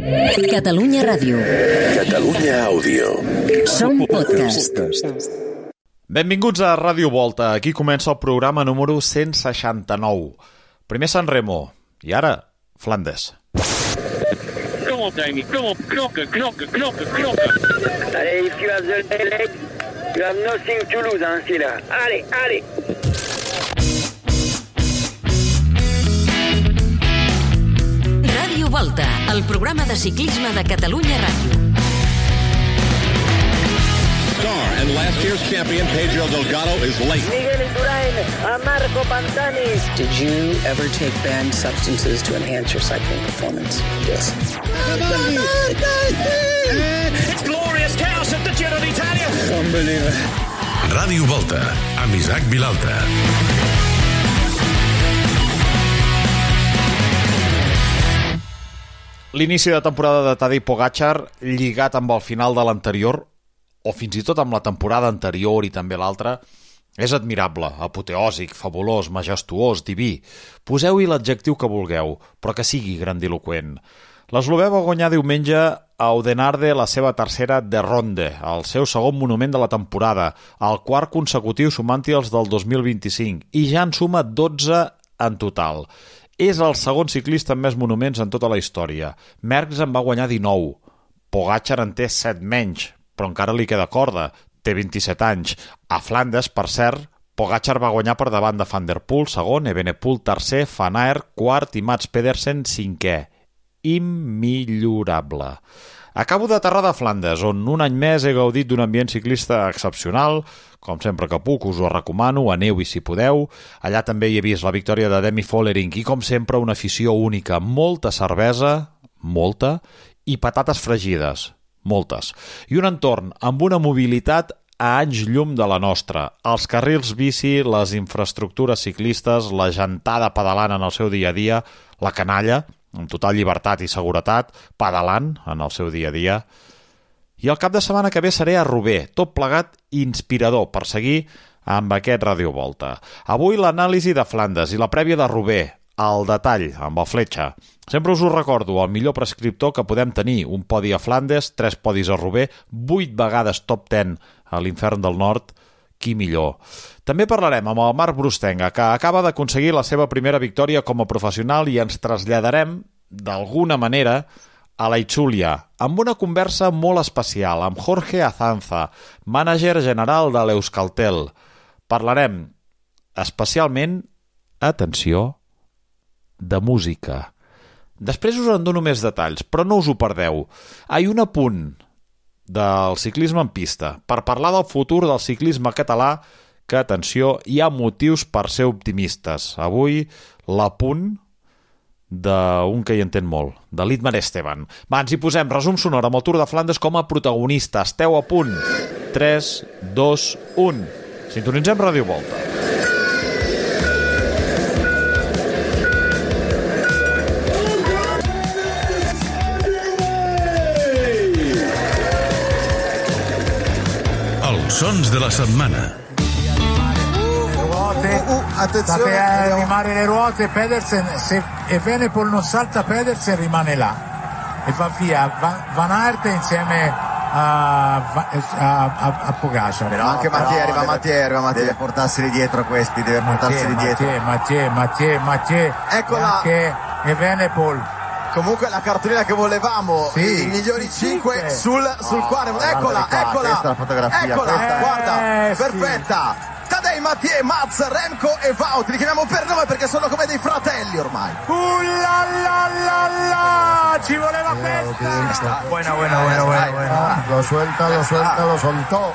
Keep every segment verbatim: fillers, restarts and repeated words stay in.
Catalunya Ràdio. Catalunya Àudio. Som podcast. Benvinguts a Ràdio Volta. Aquí comença el programa número cent seixanta-nou. Primer San Remo i ara Flandes. Kom op, Demi. Kom op. Knokken, knokken, knokken, knokken. Allez, Yves, tu as the leg. You have nothing to lose, hein, c'est là. Allez, allez. Ràdio Volta, el programa de ciclisme de Catalunya Ràdio. Star and last year's champion Pedro Delgado is late. Miguel Indurain, a Marco Pantani. Did you ever take banned substances to enhance your cycling performance? Yes. It's glorious chaos at the Giro d'Italia. Unbelievable. Ràdio Volta, amb Isaac Vilalta. L'inici de temporada de Tadej Pogačar lligat amb el final de l'anterior, o fins i tot amb la temporada anterior i també l'altra, és admirable, apoteòsic, fabulós, majestuós, diví. Poseu-hi l'adjectiu que vulgueu, però que sigui grandiloquent. L'eslovè va guanyar diumenge a Oudenaarde la seva tercera de Ronde, el seu segon monument de la temporada, el quart consecutiu sumant-hi els del dos mil vint-i-cinc, i ja en suma dotze en total. És el segon ciclista amb més monuments en tota la història. Merckx en va guanyar dinou. Pogačar en té set menys, però encara li queda corda. Té vint-i-set anys. A Flandes, per cert, Pogačar va guanyar per davant de Van der Poel, segon, Evenepoel, tercer, Van Aert, quart i Mats Pedersen, cinquè. Immillorable. Acabo d'aterrar de Flandes, on un any més he gaudit d'un ambient ciclista excepcional. Com sempre que puc, us ho recomano, aneu-hi si podeu. Allà també hi he vist la victòria de Demi Vollering i, com sempre, una afició única. Molta cervesa, molta, i patates fregides, moltes. I un entorn amb una mobilitat a anys llum de la nostra. Els carrils bici, les infraestructures ciclistes, la gentada pedalant en el seu dia a dia, la canalla, amb total llibertat i seguretat, pedalant en el seu dia a dia. I el cap de setmana que ve seré a Roubaix, tot plegat inspirador per seguir amb aquest Ràdio Volta. Avui l'anàlisi de Flandes i la prèvia de Roubaix, al detall, amb el Fletxa. Sempre us ho recordo, el millor prescriptor que podem tenir, un podi a Flandes, tres podis a Roubaix, vuit vegades top deu a l'Infern del Nord, qui millor. També parlarem amb el Marc Brustenga, que acaba d'aconseguir la seva primera victòria com a professional i ens traslladarem, d'alguna manera, a la Itxúlia, amb una conversa molt especial amb Jorge Azanza, mànager general de l'Euskaltel. Parlarem especialment, atenció, de música. Després us en dono més detalls, però no us ho perdeu. Hi ha un apunt del ciclisme en pista per parlar del futur del ciclisme català que, atenció, hi ha motius per ser optimistes. Avui, l'apunt d'un que hi entén molt, de l'Itmar Esteban. Va, ens hi posem, resum sonor amb el Tour de Flandes com a protagonista. Esteu a punt. tres, dos, un. Sintonitzem Ràdio Volta. Els sons de la setmana. Attenzione, sapere animare le ruote. Pedersen, se Evenepoel non salta, Pedersen rimane là e va via. Van, Van Aert insieme a, a, a, a Pogačar. Però anche no, Mathieu, arriva Mathieu, arriva Mathieu. Deve portarseli dietro questi, deve portarseli dietro. Mathieu, Mathieu, Mathieu. Eccola. Anche Evenepoel. Comunque la cartolina che volevamo, sì, i migliori cinque sul, sul oh, quale. Eccola, qua, eccola. Questa è la fotografia. Eccola, questa. Guarda, eh, perfetta. Sì. Tadej, Mathieu, Mats, Remco e Wout, li chiamiamo per nome perché sono come dei fratelli ormai. Uh la la la la, ci voleva festa. Buena, buena, buena, buena, buena. Lo suelta, lo suelta, lo soltó.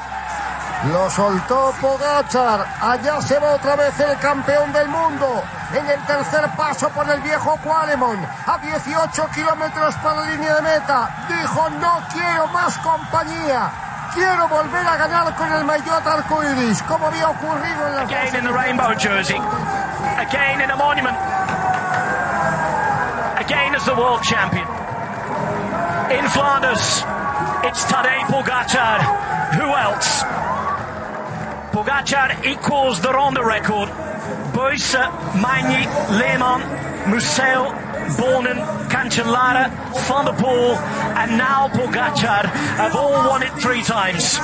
Lo soltó Pogačar. Allá se va otra vez el campeón del mundo. En el tercer paso por el viejo Quaremont. A dieciocho kilómetros para la línea de meta. Dijo, no quiero más compañía. Quiero volver a ganar con el maillot arcoiris, como había ocurrido en la... Again in the rainbow jersey. Again in a monument. Again as the world champion. In Flanders, it's Tadej Pogačar. Who else? Pogačar equals the Ronde record. Boyce, Magny, Lehmann, Musel, Bonen, Cancellara, Van der Poel, and now Pogačar have all won it three times.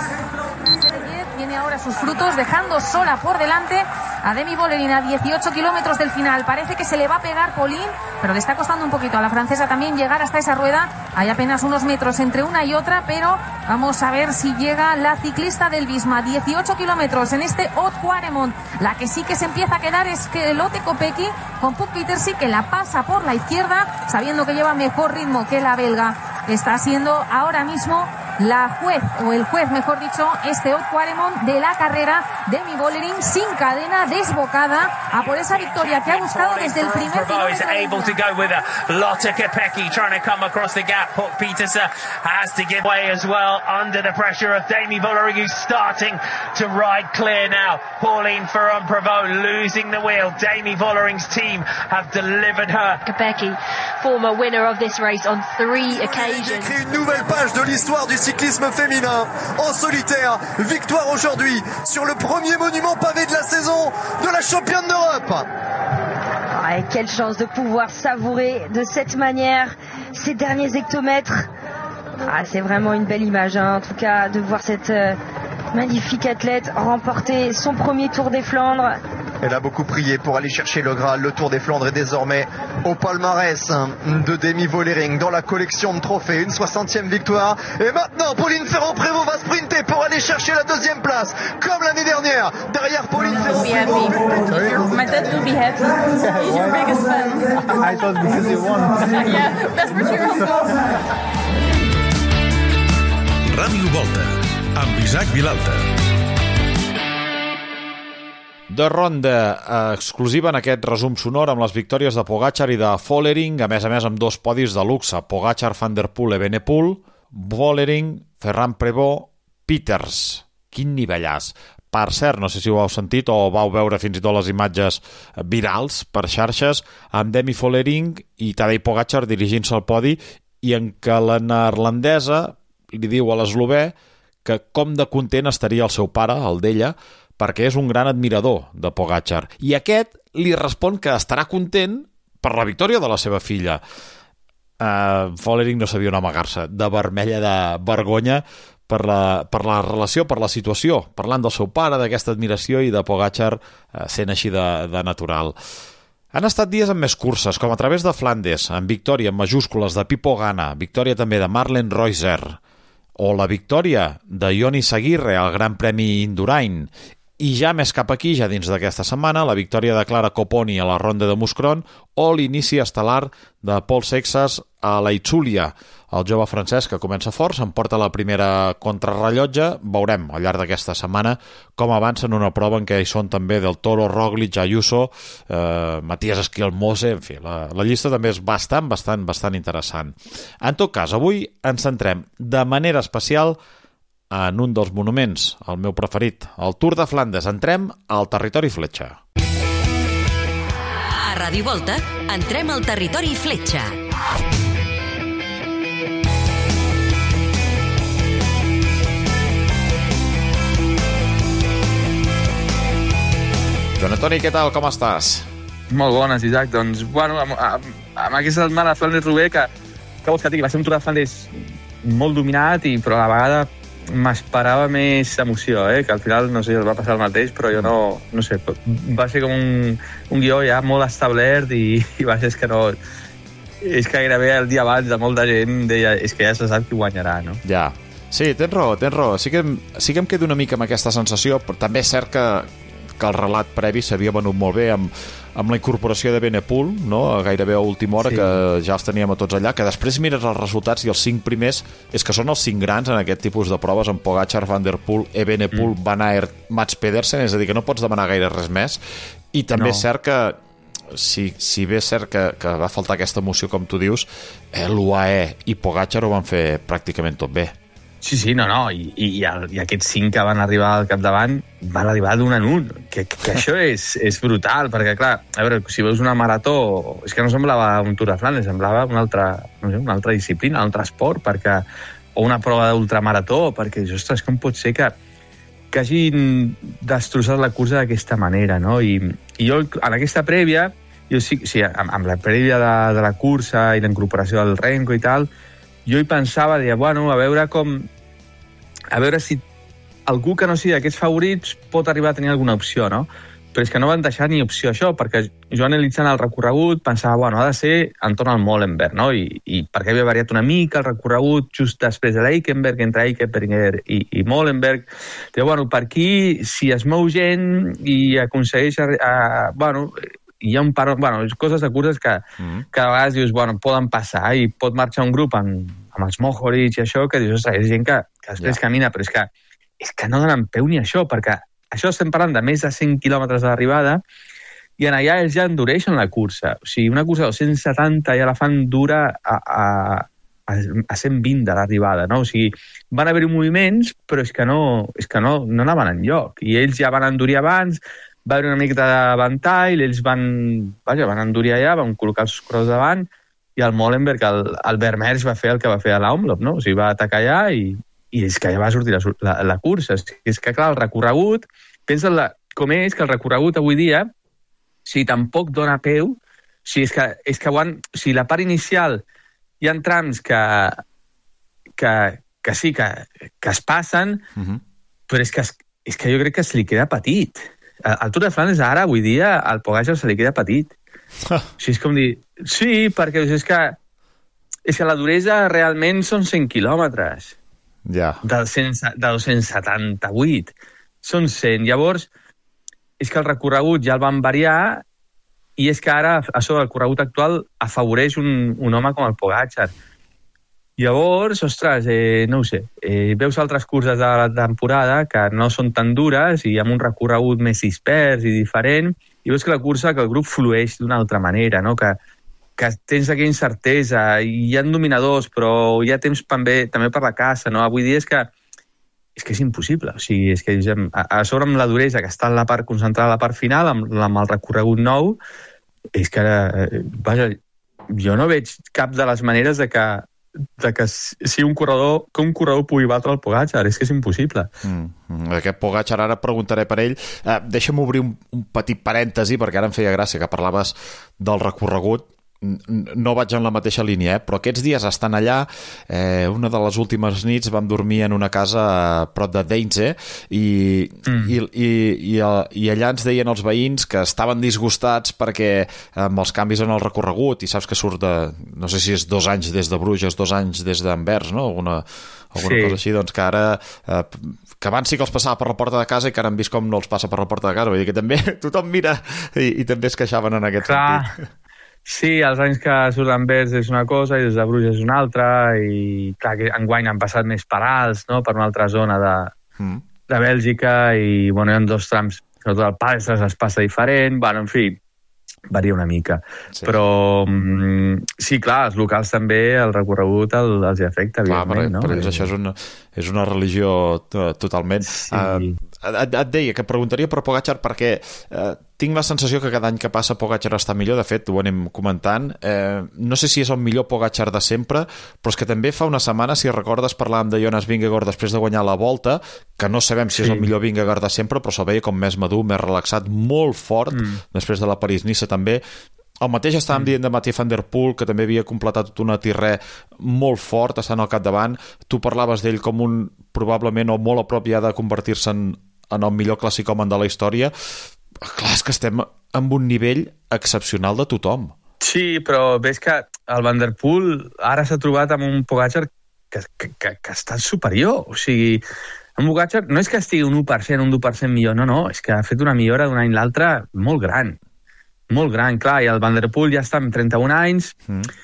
Tiene ahora sus frutos, dejando sola por delante a Demi Vollering a dieciocho kilómetros del final. Parece que se le va a pegar Pauline, pero le está costando un poquito a la francesa también llegar hasta esa rueda. Hay apenas unos metros entre una y otra, pero vamos a ver si llega la ciclista del Visma. dieciocho kilómetros en este Haute-Quaremont. La que sí que se empieza a quedar es que Lotte Kopecky con Puk Pieterse, que la pasa por la izquierda, sabiendo que lleva mejor ritmo que la belga. Está siendo ahora mismo la juez, o el juez mejor dicho, este Haute-Quaremont de la carrera. Demi Vollering sin cadena, desbocada a por esa victoria que ha buscado desde el primer kilómetro. Able to go with her. Lotte Kopecky trying to come across the gap. Puk Pieterse has to give way as well under the pressure of Demi Vollering, who's starting to ride clear now. Pauline Ferrand-Prévot losing the wheel. Demi Vollering's team have delivered her. Kopecky, former winner of this race on three occasions. Il écrit une nouvelle page de l'histoire du cyclisme féminin en solitaire. Victoire aujourd'hui sur le premier monument pavé de la saison de la championne d'Europe. Ah, et quelle chance de pouvoir savourer de cette manière ces derniers hectomètres. Ah, c'est vraiment une belle image, hein, en tout cas, de voir cette euh, magnifique athlète remporter son premier Tour des Flandres. Elle a beaucoup prié pour aller chercher le Graal. Le Tour des Flandres est désormais au palmarès de Demi Vollering dans la collection de trophées. Une soixantième victoire. Et maintenant, Pauline Ferrand-Prévot va sprinter pour aller chercher la deuxième place, comme l'année dernière. Derrière Pauline Ferrand-Prévot. My dad will be happy. He's your biggest fan. I thought because he won. Yeah, that's for sure. Ràdio Volta, amb Isaac Vilalta. De ronda eh, exclusiva en aquest resum sonor amb les victòries de Pogačar i de Vollering, a més a més amb dos podis de luxe: Pogačar, Van der Poel, Evenepoel, Vollering, Ferrand-Prévot, Pieters. Quin nivellàs! Per cert, no sé si ho heu sentit o vau veure fins i tot les imatges virals per xarxes amb Demi Vollering i Tadej Pogačar dirigint-se al podi, i en què la neerlandesa li diu a l'eslovè que com de content estaria el seu pare, el d'ella, perquè és un gran admirador de Pogačar. I aquest li respon que estarà content per la victòria de la seva filla. Uh, Vollering no sabia on amagar-se, de vermella de vergonya per la, per la relació, per la situació, parlant del seu pare, d'aquesta admiració, i de Pogačar uh, sent així de, de natural. Han estat dies amb més curses, com a través de Flandes, amb victòria en majúscules de Pipo Gana, victòria també de Marlen Reusser, o la victòria de Jonis Aguirre al Gran Premi Indurain. I ja més cap aquí, ja dins d'aquesta setmana, la victòria de Clara Copponi a la ronda de Mouscron o l'inici estel·lar de Paul Seixas a la Itzulia. El jove francès, que comença fort, s'emporta la primera contrarrellotge. Veurem al llarg d'aquesta setmana com avança en una prova en què hi són també Del Toro, Roglic, Ayuso, eh, Matías Esquiel-Mose, en fi, la, la llista també és bastant, bastant, bastant interessant. En tot cas, avui ens centrem de manera especial en un dels monuments, el meu preferit, el Tour de Flandes. Entrem al territori fletxa. A Ràdio Volta, entrem al territori fletxa. Joan Antoni, què tal? Com estàs? Molt bones, Isaac. Doncs, bueno, amb, amb, amb aquesta setmana de Flandes-Roubaix, que, que vols que digui, va ser un Tour de Flandes molt dominat, i, però a la vegada m'esperava més emoció, eh? Que al final, no sé, va passar el mateix, però jo no, no sé, va ser com un, un guió ja molt establert, i, i va ser que no... És que gairebé el dia abans de molta gent deia, és que ja se sap qui guanyarà, no? Ja, sí, tens raó, tens raó. Sí que, sí que em quedo una mica amb aquesta sensació, però també és cert que que el relat previ s'havia venut molt bé amb, amb la incorporació de Evenepoel, no? Gairebé a última hora, sí, que ja els teníem a tots allà, que després mires els resultats i els cinc primers és que són els cinc grans en aquest tipus de proves, amb Pogačar, Van der Poel, Evenepoel, mm. Van Aert, Mats Pedersen, és a dir, que no pots demanar gaire res més. I també no. És cert que si, si bé és cert que, que va faltar aquesta emoció, com tu dius, eh, l'U A E i Pogačar ho van fer pràcticament tot bé. Sí, sí, no, no, i, i, i aquests cinc que van arribar al capdavant van arribar d'un en un, que, que això és, és brutal, perquè clar, a veure, si veus una marató, és que no semblava un Tour de Flandes, semblava una altra, no sé, una altra disciplina, un altre esport, perquè, o una prova d'ultramarató, perquè, ostres, com pot ser que, que hagin destrossat la cursa d'aquesta manera, no? I, i jo, en aquesta prèvia, jo sí, sí amb, amb la prèvia de, de la cursa i la incorporació del Renko i tal, jo hi pensava, deia, bueno, a veure com... A veure si algú que no sigui d'aquests favorits pot arribar a tenir alguna opció, no? Però és que no van deixar ni opció això, perquè jo analitzant el recorregut pensava, bueno, ha de ser entorn al Molenberg, no? I, i perquè havia variat una mica el recorregut just després de l'Eikenberg, entre Eikenberg i, i Molenberg. Però, bueno, per aquí, si es mou gent i aconsegueix... A, a, bueno, hi ha un par... Bueno, coses de curses que, mm. que a vegades dius, bueno, poden passar i pot marxar un grup amb, amb els Mohoric i això, que dius, ostres, és gent que, que després ja. camina, però és que, és que no donen peu ni això, perquè això estem parlant de més de cent quilòmetres de l'arribada i en allà ells ja endureixen la cursa. O sigui, una cursa de dos-cents setanta ja la fan dura a, a, a cent vint de l'arribada, no? O sigui, van haver-hi moviments, però és que no, és que no, no anaven enlloc. I ells ja van endurir abans, va haver una mica de ventall, ells van, vaja, van endurir allà, van col·locar els corredors davant, i el Molenberg, el, el Vermeers va fer el que va fer a l'Omloop, no? O sigui, va atacar allà i i és que ja va sortir la, la, la cursa. És que, clar, el recorregut, pensa la, com és que el recorregut avui dia, si tampoc dona peu, si és que, és que han, si la part inicial hi ha trams que, que, que sí, que, que es passen, uh-huh. però és que, és que jo crec que se li queda petit. Al Tour de Flandes ara, avui dia, al Pogačar se li queda petit. O sigui, és com dir... Sí, perquè és que, és que la duresa realment són cent quilòmetres. Ja. De, de dos-cents setanta-vuit. Són cent. Llavors, és que el recorregut ja el van variar i és que ara, a sobre, el recorregut actual afavoreix un, un home com el Pogačar. Llavors, ostres, eh, no ho sé, eh, veus altres curses de la temporada que no són tan dures i amb un recorregut més dispers i diferent, i veus que la cursa, que el grup flueix d'una altra manera, no? Que que tens aquella incertesa, i hi ha dominadors, però hi ha temps també, també per la caça, no? Avui dia és que és que és impossible. O sigui, és que a, a sobre amb la duresa que està en la part concentrada a la part final, amb, amb el recorregut nou, és que, eh, vaja, jo no veig cap de les maneres de que, de que si un corredor, que un corredor pugui batre el Pogačar, és que és impossible. Mm, aquest Pogačar, ara preguntaré per ell. Eh, deixa'm obrir un, un petit parèntesi, perquè ara em feia gràcia que parlaves del recorregut. No vaig en la mateixa línia, eh? Però aquests dies estan allà, eh, una de les últimes nits vam dormir en una casa a prop de Deinze i, mm. i, i, i, i allà ens deien els veïns que estaven disgustats perquè amb els canvis en el recorregut, i saps que surt de, no sé si és dos anys des de Bruges, dos anys des d'Anvers, no? Alguna, alguna sí. cosa així, doncs que ara eh, que abans sí que els passava per la porta de casa i que ara han vist com no els passa per la porta de casa, vull dir que també tothom mira i, i també es queixaven en aquest Clar. sentit. Sí, els anys que surt d'Anvers és una cosa i des de Bruges és una altra, i clar, que enguany han passat més per alts, no?, per una altra zona de, mm. de Bèlgica, i bueno, hi ha dos trams, sobretot el Palestres es passa diferent, bueno, en fi, varia una mica. Sí. Però sí, clar, els locals també, el recorregut el, els hi afecta, evidentment, clar, per, no? Per ells això és una, és una religió totalment. Sí. Uh, et, et deia que preguntaria per Pogačar perquè uh, tinc la sensació que cada any que passa Pogačar està millor, de fet ho anem comentant, eh, no sé si és el millor Pogačar de sempre, però és que també fa una setmana, si recordes, parlàvem de Jonas Vingegaard després de guanyar la Volta, que no sabem si sí. és el millor Vingegaard de sempre, però se'l veia com més madur, més relaxat, molt fort, mm. després de la París-Niça també. El mateix estàvem mm. dient de Mathieu van der Poel, que també havia completat tot una tirré molt fort, estant al capdavant. Tu parlaves d'ell com un, probablement, o molt a prop ja de convertir-se en, en el millor classicòman de la història. Clar, és que estem amb un nivell excepcional de tothom. Sí, però ves que el Van der Poel ara s'ha trobat amb un Pogačar que, que, que, que està superior. O sigui, en Pogačar no és que estigui un u per cent, un u per cent millor, no, no, és que ha fet una millora d'un any a l'altre molt gran. Molt gran, clar, i el Van der Poel ja està amb trenta-un anys, mm.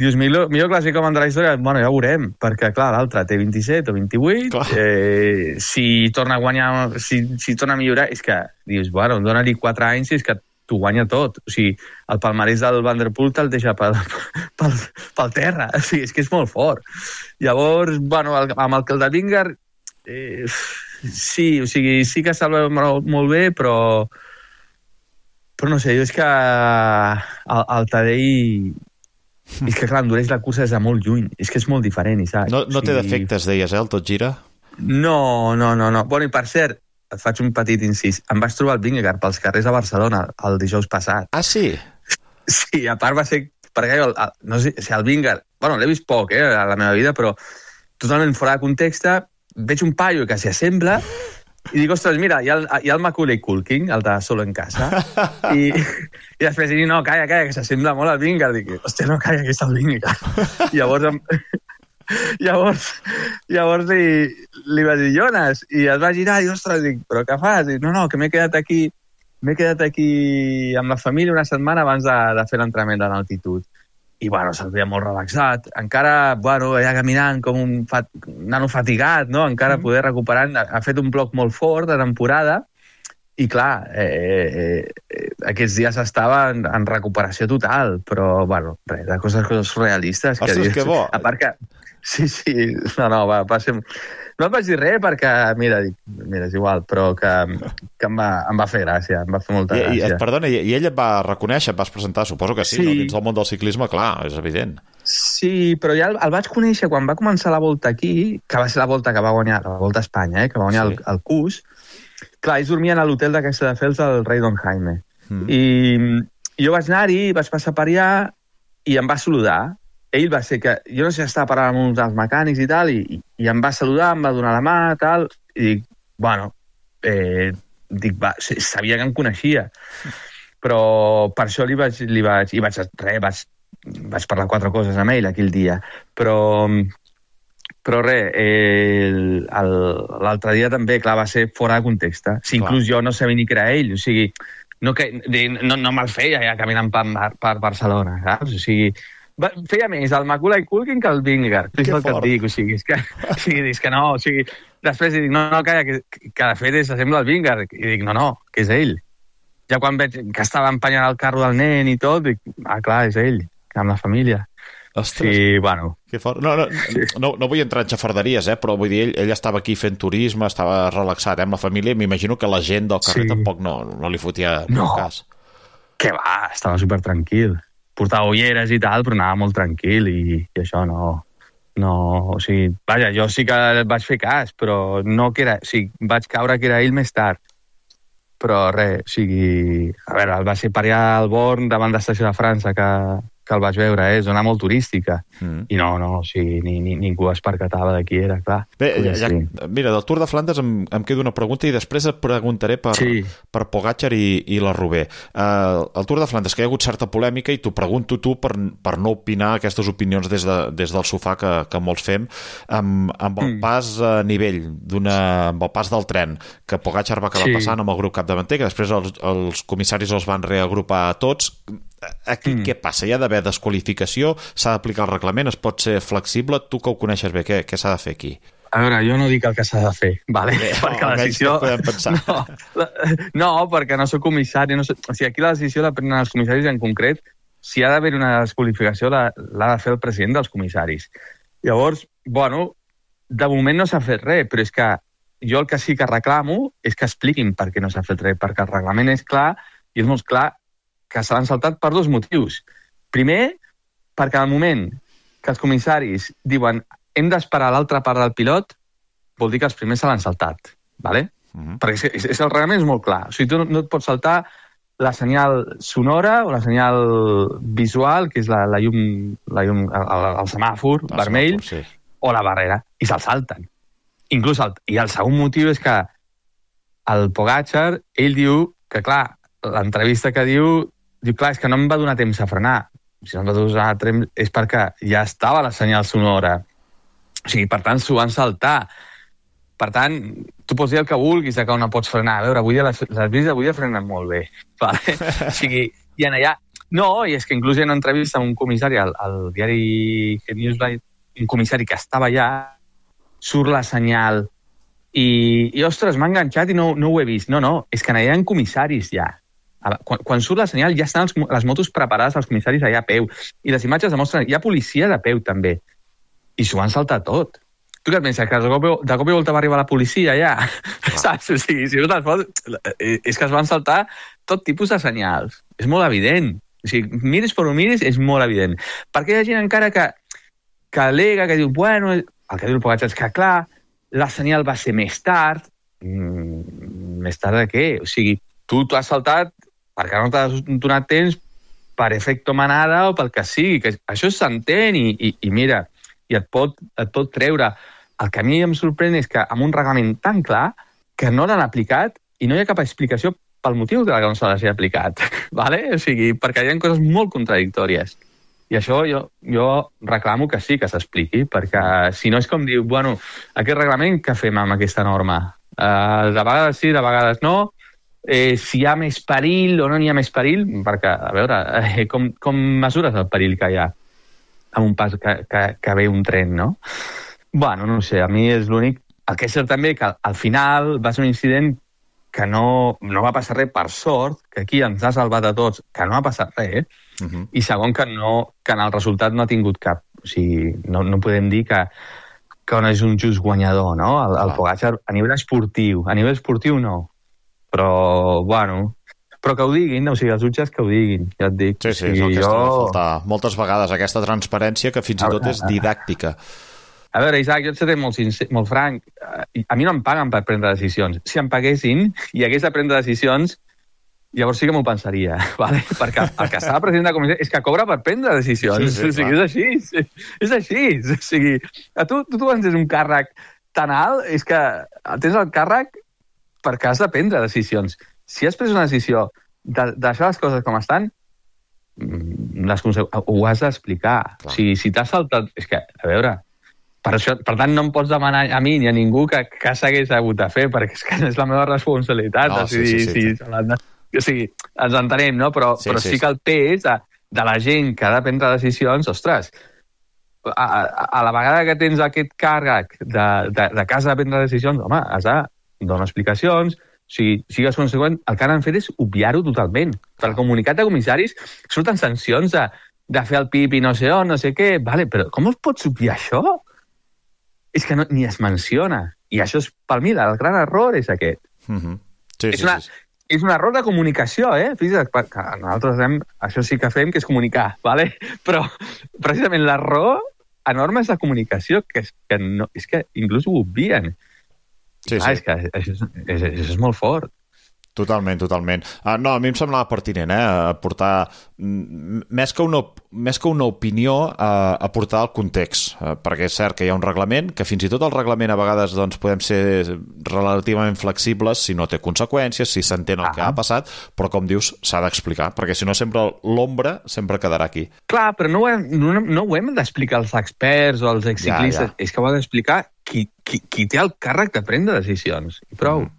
dius, millor, millor classicòman de la història, bueno, ja ho veurem, perquè, clar, l'altre té vint-i-set o vint-i-vuit, eh, si torna a guanyar, si, si torna a millorar, és que, dius, bueno, dona-li quatre anys i és que t'ho guanya tot. O sigui, el palmarès del Van der Poel te'l deixa pel, pel, pel terra, o sigui, és que és molt fort. Llavors, bueno, el, amb el que el de Vingegaard, eh, sí, o sigui, sí que se'l veu molt, molt bé, però però no sé, jo és que el, el Tadej és que clar, endureix la cursa des de molt lluny, és que és molt diferent, Isaac. No, no té o sigui... defectes, deies, eh, el Tot Gira? No, no, no, no. Bueno, i per cert, et faig un petit incís, em vaig trobar el Vingegaard pels carrers de Barcelona el dijous passat. Ah, sí? Sí, a part va ser... Perquè jo, el, no sé si el Vingegaard... Bueno, l'he vist poc, eh, a la meva vida, però totalment fora de context, veig un paio que s'hi assembla i dic, ostres, mira, hi ha el, hi ha el Macaulay Culkin, el de Solo en casa, i, i després dic, no, calla, calla, que s'assembla molt al Vingegaard. Dic, hòstia, no, calla, que és el Vingegaard. I llavors... Em... llavors, llavors li, li vaig dir, Jonas, i es va girar i, ostres, dic, però què fas? Dic, no, no, que m'he quedat aquí m'he quedat aquí amb la família una setmana abans de, de fer l'entrenament de l'altitud. I, bueno, se'l veia molt relaxat. Encara, bueno, allà caminant com un, fat... un nano fatigat, no? Encara mm. poder recuperar. Ha fet un bloc molt fort de temporada i, clar, eh, eh, aquests dies estava en, en recuperació total, però, bueno, res, de coses, coses realistes. Ostres, que, que bo! A part que... Sí, sí, no, no, va, va ser... No et vaig dir res perquè, mira, dic, mira, és igual, però que, que em, va, em va fer gràcia, em va fer molta I, gràcia. I, perdona, i, i ell et va reconèixer, et vas presentar, suposo que sí, sí. No? Dins del món del ciclisme, clar, és evident. Sí, però ja el, el vaig conèixer quan va començar la volta aquí, que va ser la volta que va guanyar, la volta a Espanya, eh, que va guanyar sí. el, el C U S. Clar, ells dormien a l'hotel de Caixa de Fels del rei Don Jaime. Mm. I jo vaig anar-hi, vaig passar per allà i em va saludar. Ell va ser que... Jo no sé si estava parlant amb uns dels mecànics i tal, i, i em va saludar, em va donar la mà, tal, i dic, bueno, eh, dic, va, sabia que em coneixia. Però per això li vaig... Li vaig I vaig... Res, vaig, vaig parlar quatre coses amb ell aquell dia. Però... Però res, eh, l'altre dia també, clar, va ser fora de context. Si inclús jo no sabia ni que era ell, o sigui, no, que, no, no me'l feia ja caminant per, per Barcelona, saps? O sigui, va, feia més el Macaulay Culkin que el Vingegaard, és el que et dic, o sigui, és que, o sigui, és que no, o sigui, després dic, no, no, calla, que, que de fet s'assembla al Vingegaard, i dic, no, no, que és ell. Ja quan veig que estava empenyant el carro del nen i tot, dic, ah, clar, és ell, amb la família. Ostres, sí, bueno. Que fort. No, no, sí. no, no vull entrar en xafarderies, eh, però vull dir, ell, ell estava aquí fent turisme, estava relaxat eh, amb la família, i m'imagino que la gent del carrer sí. tampoc no, no li fotia no. cas. Que va, estava super tranquil. Portava ulleres i tal, però anava molt tranquil i, i això no... no o sigui, vaja, jo sí que vaig fer cas, però no que era... O sigui, vaig caure que era ell més tard. Però res, o sigui... A veure, el va ser per allà al Born, davant de l'estació de França, que... que el vaig veure, eh? Zona molt turística. Mm. I no, no, o sigui, ni, ni, ningú es percatava de qui era, clar. Bé, ja, ja, mira, del Tour de Flandes em, em queda una pregunta i després et preguntaré per, sí. per Pogačar i, i la Roubaix. Uh, el Tour de Flandes, que hi ha hagut certa polèmica i t'ho pregunto tu per, per no opinar aquestes opinions des, de, des del sofà que, que molts fem, amb, amb el mm. pas a nivell d'una, amb el pas del tren, que Pogačar va acabar sí. passant amb el grup capdavanter, que després els, els comissaris els van reagrupar a tots. Aquí mm. què passa? Hi ha d'haver desqualificació? S'ha d'aplicar el reglament? Es pot ser flexible? Tu que ho coneixes bé, què, què s'ha de fer aquí? A veure, jo no dic el que s'ha de fer, vale? Bé, perquè la decisió... No, la... no, perquè no soc comissari. No soc... O sigui, aquí la decisió la prenen els comissaris en concret. Si ha d'haver una desqualificació, l'ha de fer el president dels comissaris. Llavors, bueno, de moment no s'ha fet res, però és que jo el que sí que reclamo és que expliquin per què no s'ha fet res, perquè el reglament és clar i és molt clar que se l'han saltat per dos motius. Primer, perquè al moment que els comissaris diuen hem d'esperar l'altra part del pilot, vol dir que els primers se l'han saltat. ¿Vale? Uh-huh. Perquè és, és, el reglament és molt clar. O sigui, tu no, no et pots saltar la senyal sonora o la senyal visual, que és la, la llum, la llum el, el, el semàfor el vermell, semàfor, sí. o la barrera, i se'l salten. Inclús el, i el segon motiu és que el Pogačar, ell diu que, clar, l'entrevista que diu Diu, clar, és que no em va donar temps a frenar. Si no em va donar temps és perquè ja estava la senyal sonora. O sigui, per tant, s'ho van saltar. Per tant, tu pots dir el que vulguis de que no pots frenar. A veure, avui les, les bicis d'avui frenen molt bé. Vale? O sigui, i en allà... No, i és que inclús hi ha una entrevista amb un comissari al, al diari Newsline, un comissari que estava allà, surt la senyal i, i ostres, m'ha enganxat i no, no ho he vist. No, no, és que en allà hi ha comissaris ja. Quan, quan surt la senyal ja estan els, les motos preparades als comissaris allà a peu i les imatges demostren, hi ha policia de peu també i s'ho van saltar tot. Tu què et penses, que de cop, de cop i volta va arribar la policia allà? Saps? O sigui, si no te'ls fots, és que es van saltar tot tipus de senyals. És molt evident. O sigui, miris per on miris, és molt evident. Perquè hi ha gent encara que, que al·lega, que diu, bueno, el que diu el Pogačar és que, clar, la senyal va ser més tard. Mm, més tard de què? O sigui, tu t'ho has saltat perquè no t'has donat temps per efecto manada o pel que sigui, que això s'entén i, i, i mira, i et pot, et pot treure. El que a mi em sorprèn és que amb un reglament tan clar que no l'han aplicat i no hi ha cap explicació pel motiu de que no se l'hagi aplicat, ¿vale? O sigui, perquè hi ha coses molt contradictòries. I això jo, jo reclamo que sí que s'expliqui, perquè si no és com diu, bueno, aquest reglament què fem amb aquesta norma? Uh, de vegades sí, de vegades no. Eh, si hi ha més perill o no n'hi ha més perill, perquè, a veure, eh, com, com mesures el perill que hi ha amb un pas que, que, que ve un tren, no? Bueno, no sé, a mi és l'únic. El que és cert també que al final va ser un incident que no, no va passar res per sort, que aquí ens ha salvat a tots, que no ha passat res, uh -huh. i segon que, no, que en el resultat no ha tingut cap. O sigui, no, no podem dir que, que no és un just guanyador, no? El, el Pogačar a nivell esportiu. A nivell esportiu no. Però, bueno, però que ho diguin, o sigui, els jutges que ho diguin, ja et dic. Sí, sí, és el que jo... es falta moltes vegades, aquesta transparència que fins i tot és didàctica. A veure, Isaac, jo et seré molt, sincer, molt franc. A mi no em paguen per prendre decisions. Si em paguessin i hagués de prendre decisions, llavors sí que m'ho pensaria, ¿vale? Perquè el que està de president de comissió és que cobra per prendre decisions. Sí, sí, o sigui, és així. És així. O sigui, a tu, tu, tu quan tens un càrrec tan alt, és que tens el càrrec perquè has de prendre decisions. Si has pres una decisió de, de deixar les coses com estan, les ho has d'explicar. O sigui, si t'has saltat... És que, a veure... Per, això, per tant, no em pots demanar a mi ni a ningú que, que s'hagués hagut de fer, perquè és que és la meva responsabilitat. No, sí, sí, sí, sí. Si, o sigui, ens entenem, no? Però sí, però sí, sí que el pes de, de la gent que ha de prendre decisions, ostres, a, a, a la vegada que tens aquest càrrec de, de, de que has de prendre decisions, home, has de donar explicacions, o sigui, sigues conseqüent, el que han fet és obviar-ho totalment. Per al comunicat de comissaris surten sancions de, de fer el pipi no sé on, no sé què, vale, però com es pots obviar això? És que no, ni es menciona. I això és, per mi, el gran error és aquest. Uh-huh. Sí, és, sí, una, sí. és un error de comunicació, eh? Fixa't, que nosaltres fem, això sí que fem, que és comunicar, ¿vale? Però precisament l'error enorme és la comunicació, que és que, no, és que inclús ho obvien. Sí, ah, sí. És que això és, és, és molt fort. Totalment, totalment. Uh, no, a mi em semblava pertinent, eh, aportar, més que una, més que una opinió, uh, aportar el context, uh, perquè és cert que hi ha un reglament, que fins i tot el reglament a vegades doncs, podem ser relativament flexibles si no té conseqüències, si s'entén el ah. que ha passat, però com dius, s'ha d'explicar, perquè si no sempre l'ombra sempre quedarà aquí. Clar, però no ho hem, no, no ho hem d'explicar els experts o els exciclistes, ja, ja. És que ho ha d'explicar qui, qui, qui té el càrrec de prendre decisions, i prou. Mm.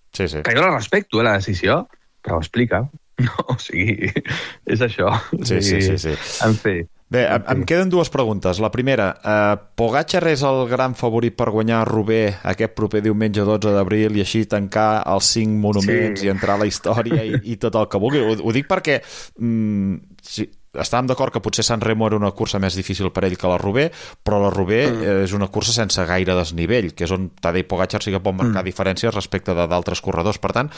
Sí, sí. Que jo la respecto, eh, la decisió, però ho explica. No, o sigui, és això. Sí, sí, sí, sí. En fi. Bé, em, em queden dues preguntes. La primera, eh, Pogačar és el gran favorit per guanyar Roubaix aquest proper diumenge dotze d'abril i així tancar els cinc monuments sí. i entrar a la història i, i tot el que vulgui. Ho, ho dic perquè mm, sí, estàvem d'acord que potser San Remo era una cursa més difícil per ell que la Roubaix, però la Roubaix mm. és una cursa sense gaire desnivell, que és on Tadej Pogačar sí que pot marcar mm. diferències respecte d'altres corredors. Per tant,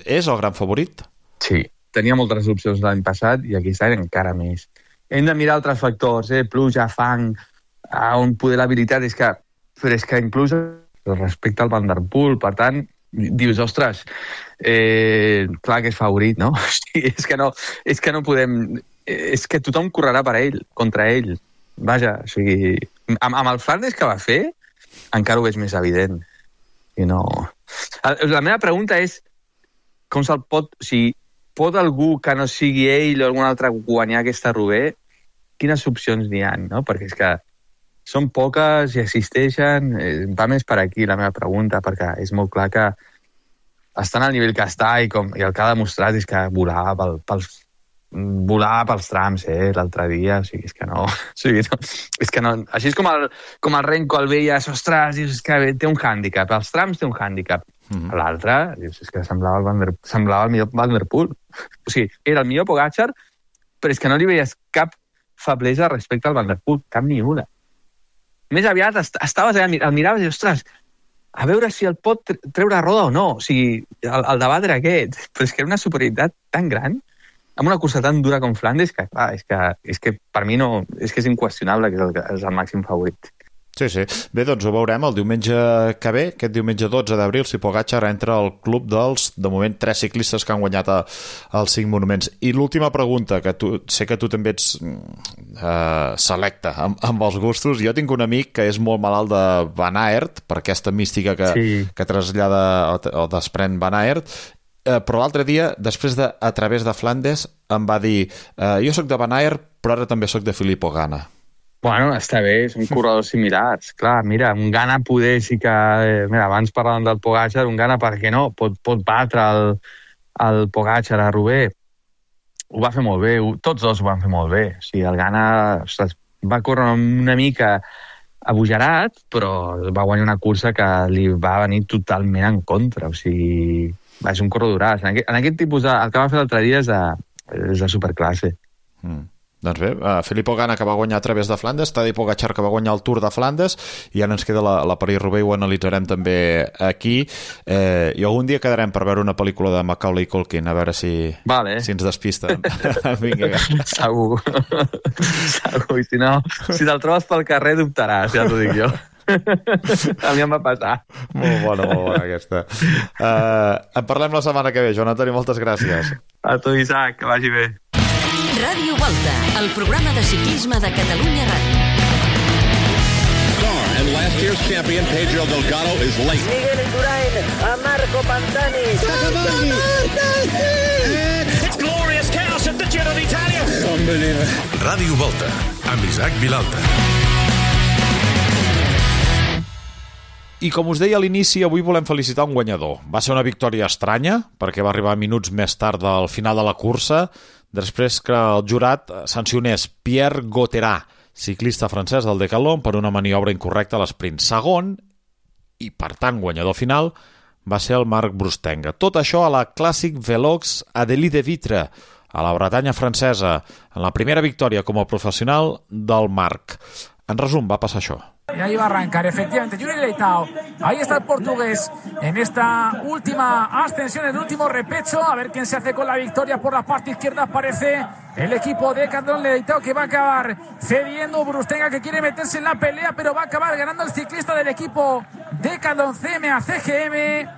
és el gran favorit? Sí, tenia moltes opcions l'any passat i aquest any encara més. Hem de mirar altres factors, eh? Pluja, fang, on poder l'habilitat, és que, però és que inclús respecte al Van der Poel, per tant, dius, ostres, eh, clar que és favorit, no? Sí, és que no, és que no podem... És que tothom correrà per ell, contra ell. Vaja, o sigui... Amb, amb el Flandes que va fer, encara ho és més evident. I no... La meva pregunta és com se'l pot... O sigui, pot algú que no sigui ell o algun altre guanyar aquesta Roubaix? Quines opcions n'hi ha, no? Perquè és que són poques i existeixen. Va més per aquí la meva pregunta, perquè és molt clar que estan al nivell que està i, com, i el que ha demostrat és que volava pel, pels volar pels trams, eh, l'altre dia, o sigui, és que no, o sigui, no, és que no, així és com el, com el Renko el veies, ostres, dius, és que té un hàndicap, els trams té un hàndicap, mm-hmm. l'altre, dius, és que semblava el, Van der, semblava el millor Van der Poel, o sigui, era el millor Pogačar, però és que no li veies cap feblesa respecte al Van der Poel, cap ni una. Més aviat est estaves allà, el miraves i, ostres, a veure si el pot treure a roda o no, o sigui, el, el debat era aquest, però és que era una superioritat tan gran, amb una cursa tan dura com Flandes, que, clar, és que, és que per mi no... És que és inqüestionable que és el, és el màxim favorit. Sí, sí. Bé, doncs ho veurem el diumenge que ve, aquest diumenge dotze d'abril, si Pogačar entra al club dels, de moment, tres ciclistes que han guanyat a, als cinc monuments. I l'última pregunta, que tu, sé que tu també ets eh, selecte amb, amb els gustos. Jo tinc un amic que és molt malalt de Van Aert, per aquesta mística que, sí. que trasllada o, o desprèn Van Aert, eh, però l'altre dia, després de A través de Flandes, em va dir eh, jo sóc de Van Aert, però ara també sóc de Filippo Ganna. Bueno, està bé, són corredors similars. Clar, mira, un Ganna poder sí que... Eh, mira, abans parlàvem del Pogačar, un Ganna, per què no? Pot, pot batre el, el Pogačar a Roubaix. Ho va fer molt bé, ho, tots dos ho van fer molt bé. O sigui, el Ganna ostres, va córrer una mica abujarat, però va guanyar una cursa que li va venir totalment en contra. O sigui, va ser un corredoràs. En aquest, en aquest tipus de... El que va fer l'altre dia és de, és de superclasse. Mm. Doncs bé, uh, Filippo Ganna, que va guanyar a través de Flandes, Tadej Pogačar, que va guanyar el Tour de Flandes, i ara ens queda la, la París-Roubaix, ho analitzarem també aquí. Eh, I algun dia quedarem per veure una pel·lícula de Macaulay Culkin, a veure si, vale. si ens despista. Vinga. Segur. Segur. I si no, si te'l trobes pel carrer, dubtaràs, ja t'ho dic jo. A mi em va passar. Molt bona, molt bona aquesta. Uh, en parlem la setmana que ve, Joan Antoni, moltes gràcies. A tu, Isaac, que vagi bé. Ràdio Volta, el programa de ciclisme de Catalunya Ràdio. Car and last year's champion Pedro Delgado is late. Miguel Indurain a Marco Pantani. It's glorious chaos at the Giro d'Italia. Unbelievable. Ràdio Volta, amb Isaac Vilalta. I com us deia a l'inici, avui volem felicitar un guanyador. Va ser una victòria estranya, perquè va arribar minuts més tard del final de la cursa, després que el jurat sancionés Pierre Gauthierat, ciclista francès del Decathlon, per una maniobra incorrecta a l'esprint. Segon, i per tant guanyador final, va ser el Marc Brustenga. Tot això a la Classic Velox Adélie de Vitre, a la Bretanya francesa, en la primera victòria com a professional del Marc. En resum, va passar això. Y ahí va a arrancar, efectivamente, Juri Leitao. Ahí está el portugués en esta última ascensión, el último repecho. A ver quién se hace con la victoria por la parte izquierda. Aparece el equipo de Decathlon Leitao, que va a acabar cediendo. Brustenga, que quiere meterse en la pelea, pero va a acabar ganando el ciclista del equipo Decathlon C M A C G M.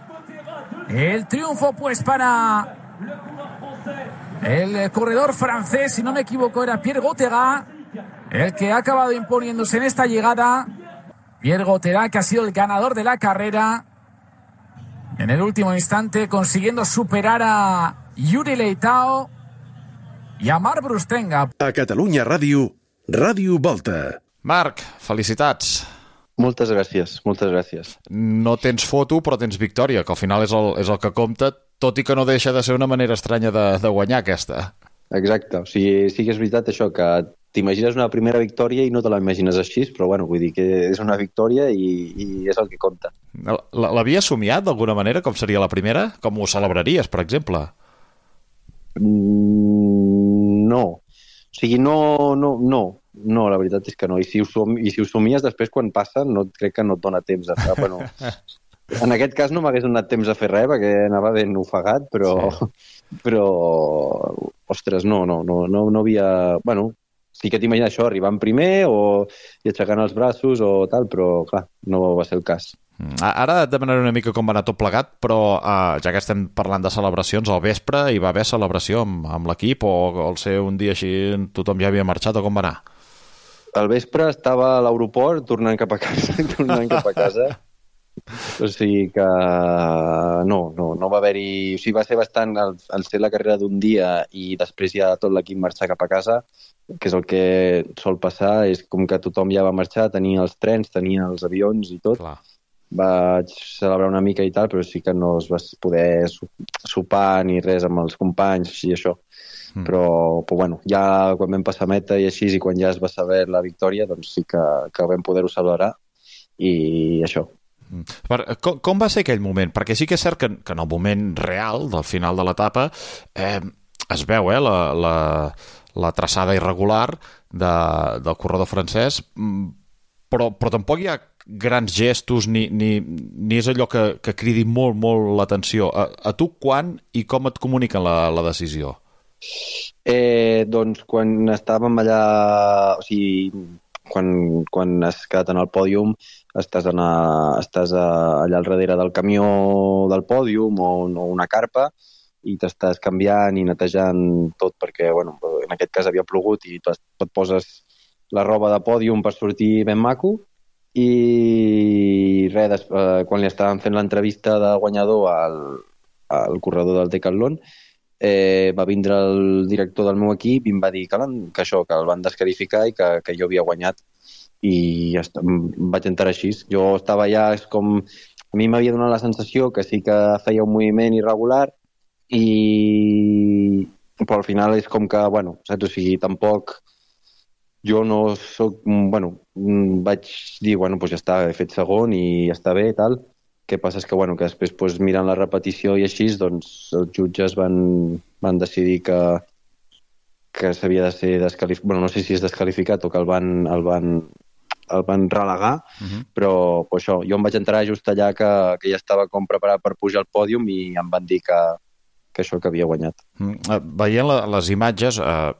El triunfo pues para el corredor francés, si no me equivoco era Pierre Gauthierat, el que ha acabado imponiéndose en esta llegada. Pierre Gauthierat, que ha sido el ganador de la carrera en el último instante, consiguiendo superar a Juri Leitao i a Marc Brustenga. A Catalunya Ràdio, Ràdio Volta. Marc, felicitats. Moltes gràcies, moltes gràcies. No tens foto, però tens victòria, que al final és el, és el que compta, tot i que no deixa de ser una manera estranya de, de guanyar aquesta. Exacte, o sigui, sí que és veritat això, que t'imagines una primera victòria i no te la imagines així, però bueno, vull dir que és una victòria i, i és el que compta. L'havies somiat d'alguna manera, com seria la primera? Com ho celebraries, per exemple? Mm, no. O sigui, no, no, no, no, la veritat és que no. I si ho, som, i si ho somies després quan passa, no, crec que no et dona temps a fer. Bueno, en aquest cas no m'hagués donat temps a fer res, perquè anava ben ofegat, però, sí. però ostres, no, no, no, no, no havia... Bueno, sí que t'imagines això, arribant primer o i aixecant els braços o tal, però clar, no va ser el cas. Ara et demanaré una mica com va anar tot plegat, però uh, ja que estem parlant de celebracions, al vespre hi va haver celebració amb, amb l'equip o al ser un dia així tothom ja havia marxat o com va anar? Al vespre estava a l'aeroport tornant cap a casa, tornant cap a casa. O sigui que no, no, no va haver-hi... O sigui, va ser bastant al, al ser la carrera d'un dia i després ja tot l'equip marxar cap a casa, que és el que sol passar, és com que tothom ja va marxar, tenia els trens, tenia els avions i tot. Clar. Vaig celebrar una mica i tal, però sí que no es va poder sopar ni res amb els companys i això. Mm. Però, però bueno, ja quan vam passar meta i així, i quan ja es va saber la victòria, doncs sí que, que vam poder-ho celebrar i això. Com, com va ser aquell moment? Perquè sí que és cert que, que en el moment real del final de l'etapa eh, es veu eh, la, la, la traçada irregular de, del corredor francès, però, però tampoc hi ha grans gestos ni, ni, ni és allò que, que cridi molt, molt l'atenció. A, a tu quan i com et comuniquen la, la decisió? Eh, doncs quan estàvem allà, o sigui, quan, quan has quedat en el pòdium estàs, en a, estàs a, allà al darrere del camió del pòdium o, o una carpa i t'estàs canviant i netejant tot perquè, bueno, en aquest cas havia plogut i tu et poses la roba de pòdium per sortir ben maco i res, des, eh, quan li estaven fent l'entrevista de guanyador al, al corredor del Decathlon eh, va vindre el director del meu equip i em va dir que, que això, que el van descalificar i que, que jo havia guanyat i ja està, em vaig entrar així. Jo estava ja, és com, a mi m'havia donat la sensació que sí que feia un moviment irregular i però al final és com que, bueno, saps? O sigui, tampoc jo no soc, bueno, vaig dir, bueno, doncs ja està, he fet segon i ja està bé i tal. Què passa és que, bueno, que després, doncs, mirant la repetició i així, doncs, els jutges van, van decidir que, que s'havia de ser desqualificat, bueno, no sé si és desqualificat o que el van, el van, el van relegar, uh-huh. però pues, això, jo em vaig entrar just allà que, que ja estava com preparat per pujar al pòdium i em van dir que, que això que havia guanyat. Mm, veient la, les imatges, eh,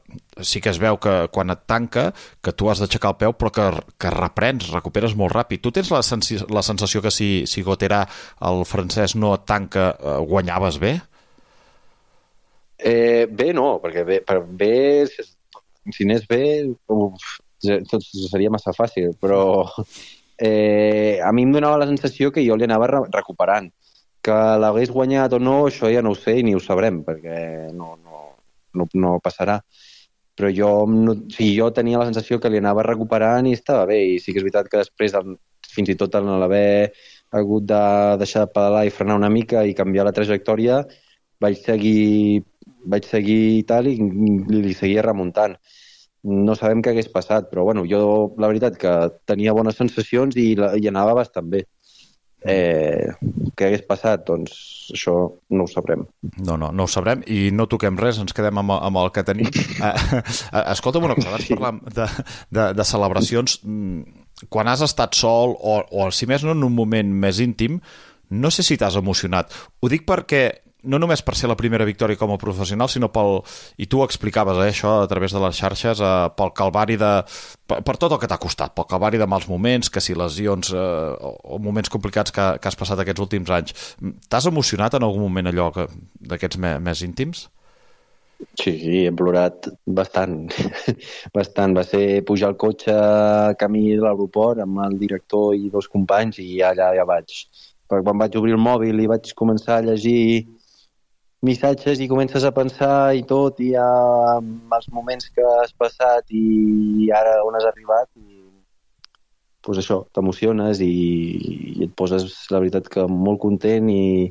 sí que es veu que quan et tanca, que tu has d'aixecar el peu, però que, que reprens, recuperes molt ràpid. Tu tens la, sensi, la sensació que si, si Gauthierat, el francès, no et tanca, eh, guanyaves bé? Eh, bé no, perquè bé, per bé, si, si n'és bé, uf, tot seria massa fàcil, però eh, a mi em donava la sensació que jo li anava re- recuperant. Que l'hagués guanyat o no, això ja no ho sé i ni ho sabrem, perquè no, no, no, no passarà. Però jo, no, sí, jo tenia la sensació que li anava recuperant i estava bé. I sí que és veritat que després, fins i tot en l'haver hagut de deixar de pedalar i frenar una mica i canviar la trajectòria, vaig seguir, vaig seguir i tal i li seguia remuntant. No sabem què hagués passat, però bueno, jo la veritat que tenia bones sensacions i, la, i anava bastant bé. Eh, què hagués passat? Doncs això no ho sabrem. No, no, no ho sabrem i no toquem res, ens quedem amb, amb el que tenim. Eh, escolta'm una cosa, abans parlam de, de, de celebracions. Quan has estat sol o, o si més no en un moment més íntim, no sé si t'has emocionat. Ho dic perquè no només per ser la primera victòria com a professional, sinó pel, i tu ho explicaves, eh, això, a través de les xarxes, eh, pel calvari de... Per, per tot el que t'ha costat, pel calvari de mals moments, que si lesions eh, o, o moments complicats que, que has passat aquests últims anys. T'has emocionat en algun moment allò que, d'aquests me, més íntims? Sí, sí, he plorat bastant. bastant. Va ser pujar al cotxe camí de l'aeroport amb el director i dos companys i allà ja vaig. Perquè quan vaig obrir el mòbil i vaig començar a llegir missatges i comences a pensar i tot, i ja els moments que has passat i ara on has arribat, i pues això, t'emociones i, i et poses, la veritat, que molt content i,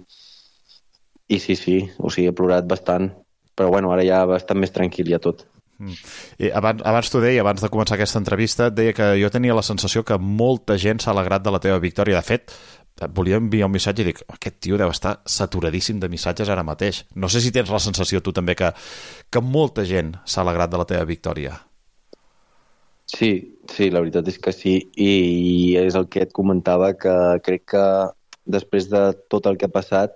i sí, sí, o sigui, he plorat bastant, però bueno, ara ja bastant més tranquil ja tot. Mm. I abans, abans t'ho deia, abans de començar aquesta entrevista, et deia que jo tenia la sensació que molta gent s'ha alegrat de la teva victòria. De fet, volia enviar un missatge i dic, aquest tio deu estar saturadíssim de missatges ara mateix. No sé si tens la sensació tu també que, que molta gent s'ha alegrat de la teva victòria. Sí, sí, la veritat és que sí, i és el que et comentava, que crec que després de tot el que ha passat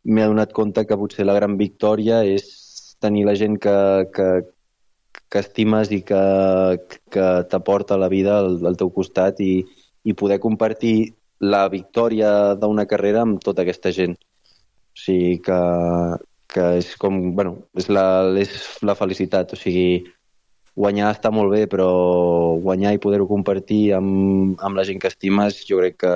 m'he adonat compte que potser la gran victòria és tenir la gent que, que, que estimes i que, que t'aporta la vida al, al teu costat i, i poder compartir la victòria d'una carrera amb tota aquesta gent. O sigui que, que és com, bueno, és la, és la felicitat. O sigui, guanyar està molt bé, però guanyar i poder-ho compartir amb, amb la gent que estimes, jo crec que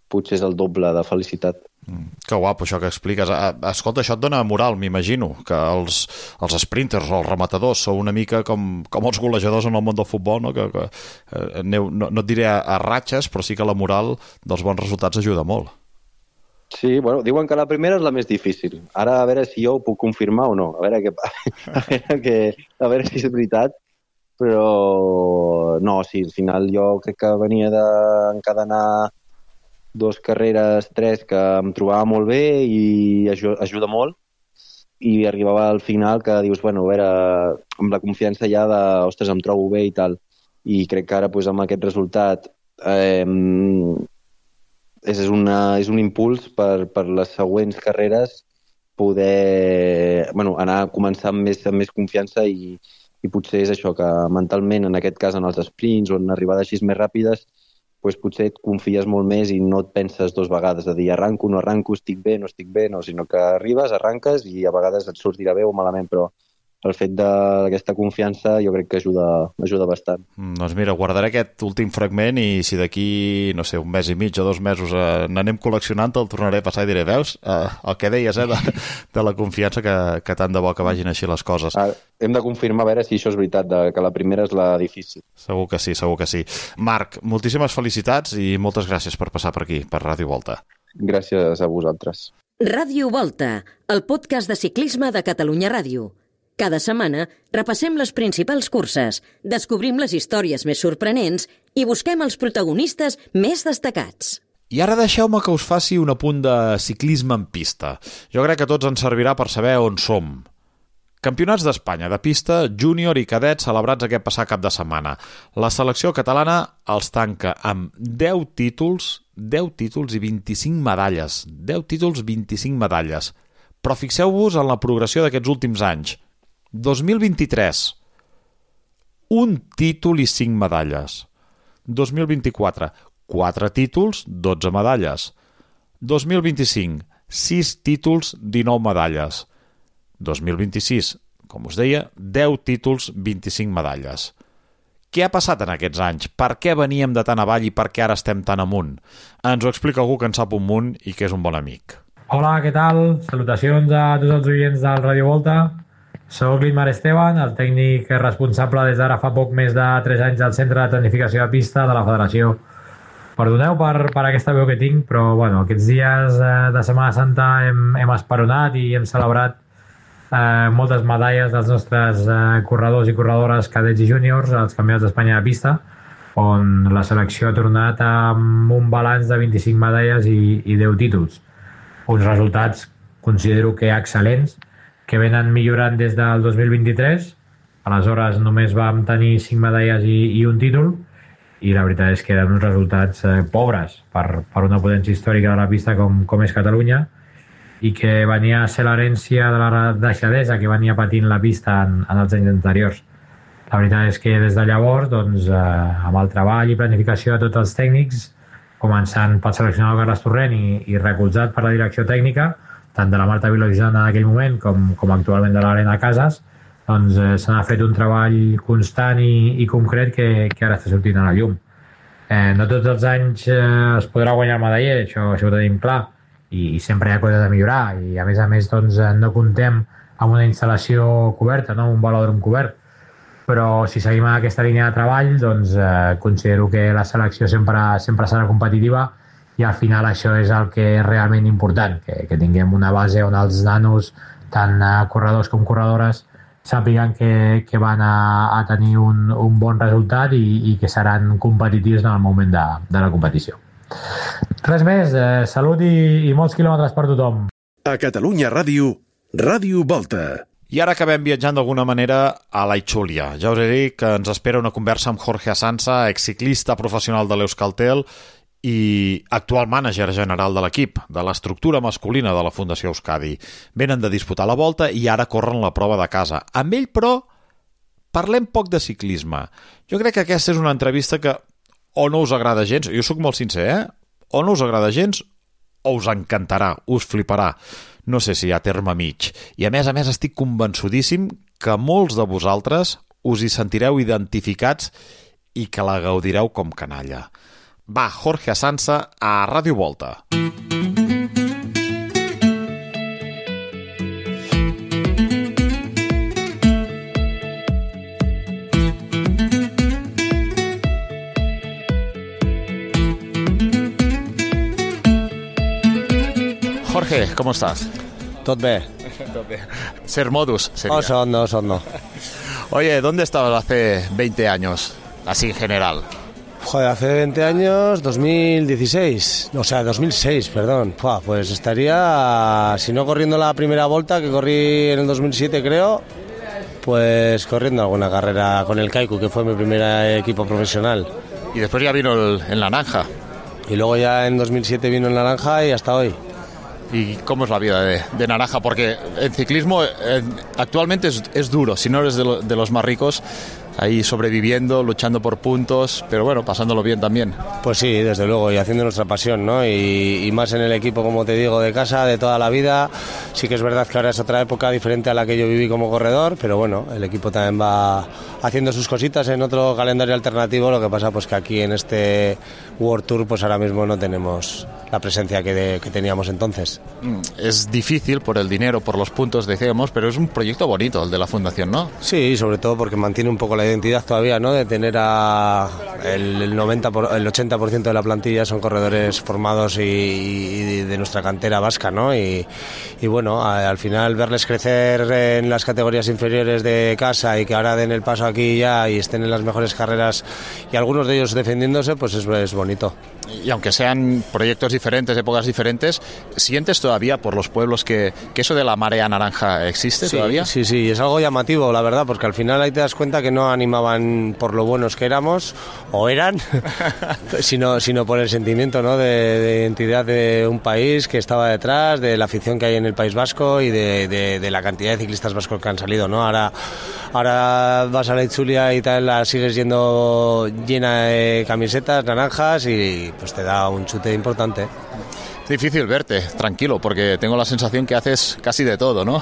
potser és el doble de felicitat. Mm, que guapo això que expliques. Escolta, això et dona moral, m'imagino, que els, els sprinters o els rematadors sou una mica com, com els golejadors en el món del futbol, no? Que, que eh, aneu, no, no et diré a, a ratxes, però sí que la moral dels bons resultats ajuda molt. Sí, bueno, diuen que la primera és la més difícil. Ara a veure si jo ho puc confirmar o no. A veure, que, a veure, que, a veure si és veritat. Però no, sí, al final jo crec que venia d'encadenar dos carreres, tres, que em trobava molt bé i ajuda, ajuda molt, i arribava al final que dius, bueno, a veure, amb la confiança ja de, ostres, em trobo bé i tal, i crec que ara, pues, amb aquest resultat eh, és, una, és un impuls per, per les següents carreres poder, bueno, anar a començar amb més, amb més confiança i, i potser és això, que mentalment, en aquest cas, en els sprints o en arribades així més ràpides, pues potser et confies molt més i no et penses dues vegades de dir arranco, no arranco, estic bé, no estic bé, no, sinó que arribes, arranques i a vegades et sortirà bé o malament, però el fet d'aquesta confiança jo crec que ajuda, ajuda bastant. Mm, doncs mira, guardaré aquest últim fragment i si d'aquí, no sé, un mes i mig o dos mesos eh, n'anem col·leccionant, el tornaré a passar i diré, veus, eh, el que deies, eh, de, de la confiança que, que tant de bo que vagin així les coses. Ah, hem de confirmar a veure si això és veritat, de, que la primera és la difícil. Segur que sí, segur que sí. Marc, moltíssimes felicitats i moltes gràcies per passar per aquí, per Ràdio Volta. Gràcies a vosaltres. Ràdio Volta, el podcast de ciclisme de Catalunya Ràdio. Cada setmana repassem les principals curses, descobrim les històries més sorprenents i busquem els protagonistes més destacats. I ara deixeu-me que us faci un apunt de ciclisme en pista. Jo crec que a tots ens servirà per saber on som. Campionats d'Espanya de pista, júnior i cadet celebrats aquest passat cap de setmana. La selecció catalana els tanca amb deu títols, deu títols i vint-i-cinc medalles. deu títols, vint-i-cinc medalles. Però fixeu-vos en la progressió d'aquests últims anys. dos mil vint-i-tres, un títol i cinc medalles. dos mil vint-i-quatre, quatre títols, dotze medalles. dos mil vint-i-cinc, sis títols, dinou medalles. dos mil vint-i-sis, com us deia, deu títols, vint-i-cinc medalles. Què ha passat en aquests anys? Per què veníem de tan avall i per què ara estem tan amunt? Ens ho explica algú que en sap un munt i que és un bon amic. Hola, què tal? Salutacions a tots els oients del Ràdio Volta. Soc l'Imar Esteban, el tècnic responsable des d'ara fa poc més de tres anys del Centre de Tecnificació de Pista de la Federació. Perdoneu per, per aquesta veu que tinc, però bueno, aquests dies eh, de Setmana Santa hem, hem esperonat i hem celebrat eh, moltes medalles dels nostres eh, corredors i corredores cadets i júniors als Campionats d'Espanya de Pista, on la selecció ha tornat amb un balanç de vint-i-cinc medalles i, i deu títols. Uns resultats considero que excel·lents, que venen millorant des del dos mil vint-i-tres. Aleshores només vam tenir cinc medalles i, i un títol, i la veritat és que eren uns resultats eh, pobres per, per una potència històrica de la pista com, com és Catalunya, i que venia a ser l'herència de la deixadesa que venia patint la pista en, en els anys anteriors. La veritat és que des de llavors, doncs, eh, amb el treball i planificació de tots els tècnics, començant pel seleccionador Carles Torrent i, i recolzat per la direcció tècnica, tant de la Marta Vilojana en aquell moment com, com actualment de l'Helena Casas, doncs eh, se n'ha fet un treball constant i, i concret que, que ara està sortint a la llum. Eh, no tots els anys eh, es podrà guanyar el medaller, això, això ho tenim clar, i, i sempre hi ha coses a millorar, i a més a més doncs, no comptem amb una instal·lació coberta, no? Un velòdrom cobert, però si seguim en aquesta línia de treball, doncs eh, considero que la selecció sempre, sempre serà competitiva, i al final això és el que és realment important, que, que tinguem una base on els nanos, tant corredors com corredores, sàpiguen que, que van a, a tenir un, un bon resultat i, i que seran competitius en el moment de, de la competició. Res més, eh, salut i, i molts quilòmetres per tothom. A Catalunya Ràdio, Ràdio Volta. I ara acabem viatjant d'alguna manera a la Itxúlia. Ja us he dit que ens espera una conversa amb Jorge Asanza, exciclista professional de l'Euskaltel i actual mànager general de l'equip, de l'estructura masculina de la Fundació Euskadi. Venen de disputar la Volta i ara corren la prova de casa. Amb ell, però, parlem poc de ciclisme. Jo crec que aquesta és una entrevista que o no us agrada gens, jo sóc molt sincer, eh? O no us agrada gens o us encantarà, us fliparà. No sé si hi ha terme mig. I a més a més estic convençudíssim que molts de vosaltres us hi sentireu identificats i que la gaudireu com canalla. Va, Jorge Asanza a Ràdio Volta. Jorge, ¿cómo estás? Tot bé. Tot bé. Ser modus sería. Oh, son no, son no. Oye, ¿dónde estabas hace veinte años? Así en general. Joder, hace veinte años, dos mil dieciséis, o sea, dos mil seis, perdón. Pua, pues estaría, si no corriendo la primera volta, que corrí en el dos mil siete creo, pues corriendo alguna carrera con el Kaiku, que fue mi primer equipo profesional. Y después ya vino el, el Naranja. Y luego ya en dos mil siete vino el Naranja y hasta hoy. ¿Y cómo es la vida de, de Naranja? Porque el ciclismo eh, actualmente es, es duro, si no eres de, lo, de los más ricos, ahí sobreviviendo, luchando por puntos, pero bueno, pasándolo bien también. Pues sí, desde luego, y haciendo nuestra pasión, ¿no? Y, y más en el equipo, como te digo, de casa, de toda la vida. Sí que es verdad que ahora es otra época diferente a la que yo viví como corredor, pero bueno, el equipo también va haciendo sus cositas en otro calendario alternativo. Lo que pasa pues que aquí en este World Tour pues ahora mismo no tenemos la presencia que, de, que teníamos entonces. Es difícil por el dinero, por los puntos, decíamos, pero es un proyecto bonito el de la Fundación, ¿no? Sí, sobre todo porque mantiene un poco la identidad todavía, ¿no? De tener a el, el noventa por, el ochenta por ciento de la plantilla son corredores formados y, y de nuestra cantera vasca, ¿no? Y, y bueno, a, al final verles crecer en las categorías inferiores de casa y que ahora den el paso aquí ya y estén en las mejores carreras y algunos de ellos defendiéndose, pues es, es bonito. Y aunque sean proyectos diferentes, épocas diferentes, ¿sientes todavía por los pueblos que, que eso de la marea naranja existe sí, todavía? Sí, sí, es algo llamativo, la verdad, porque al final ahí te das cuenta que no animaban por lo buenos que éramos, o eran, sino, sino por el sentimiento, ¿no? de, de identidad de un país que estaba detrás, de la afición que hay en el País Vasco y de, de, de la cantidad de ciclistas vascos que han salido, ¿no? Ahora, ahora vas a la Itzulia y tal, la sigues yendo llena de camisetas naranjas y pues te da un chute importante. Es difícil verte tranquilo porque tengo la sensación que haces casi de todo, ¿no?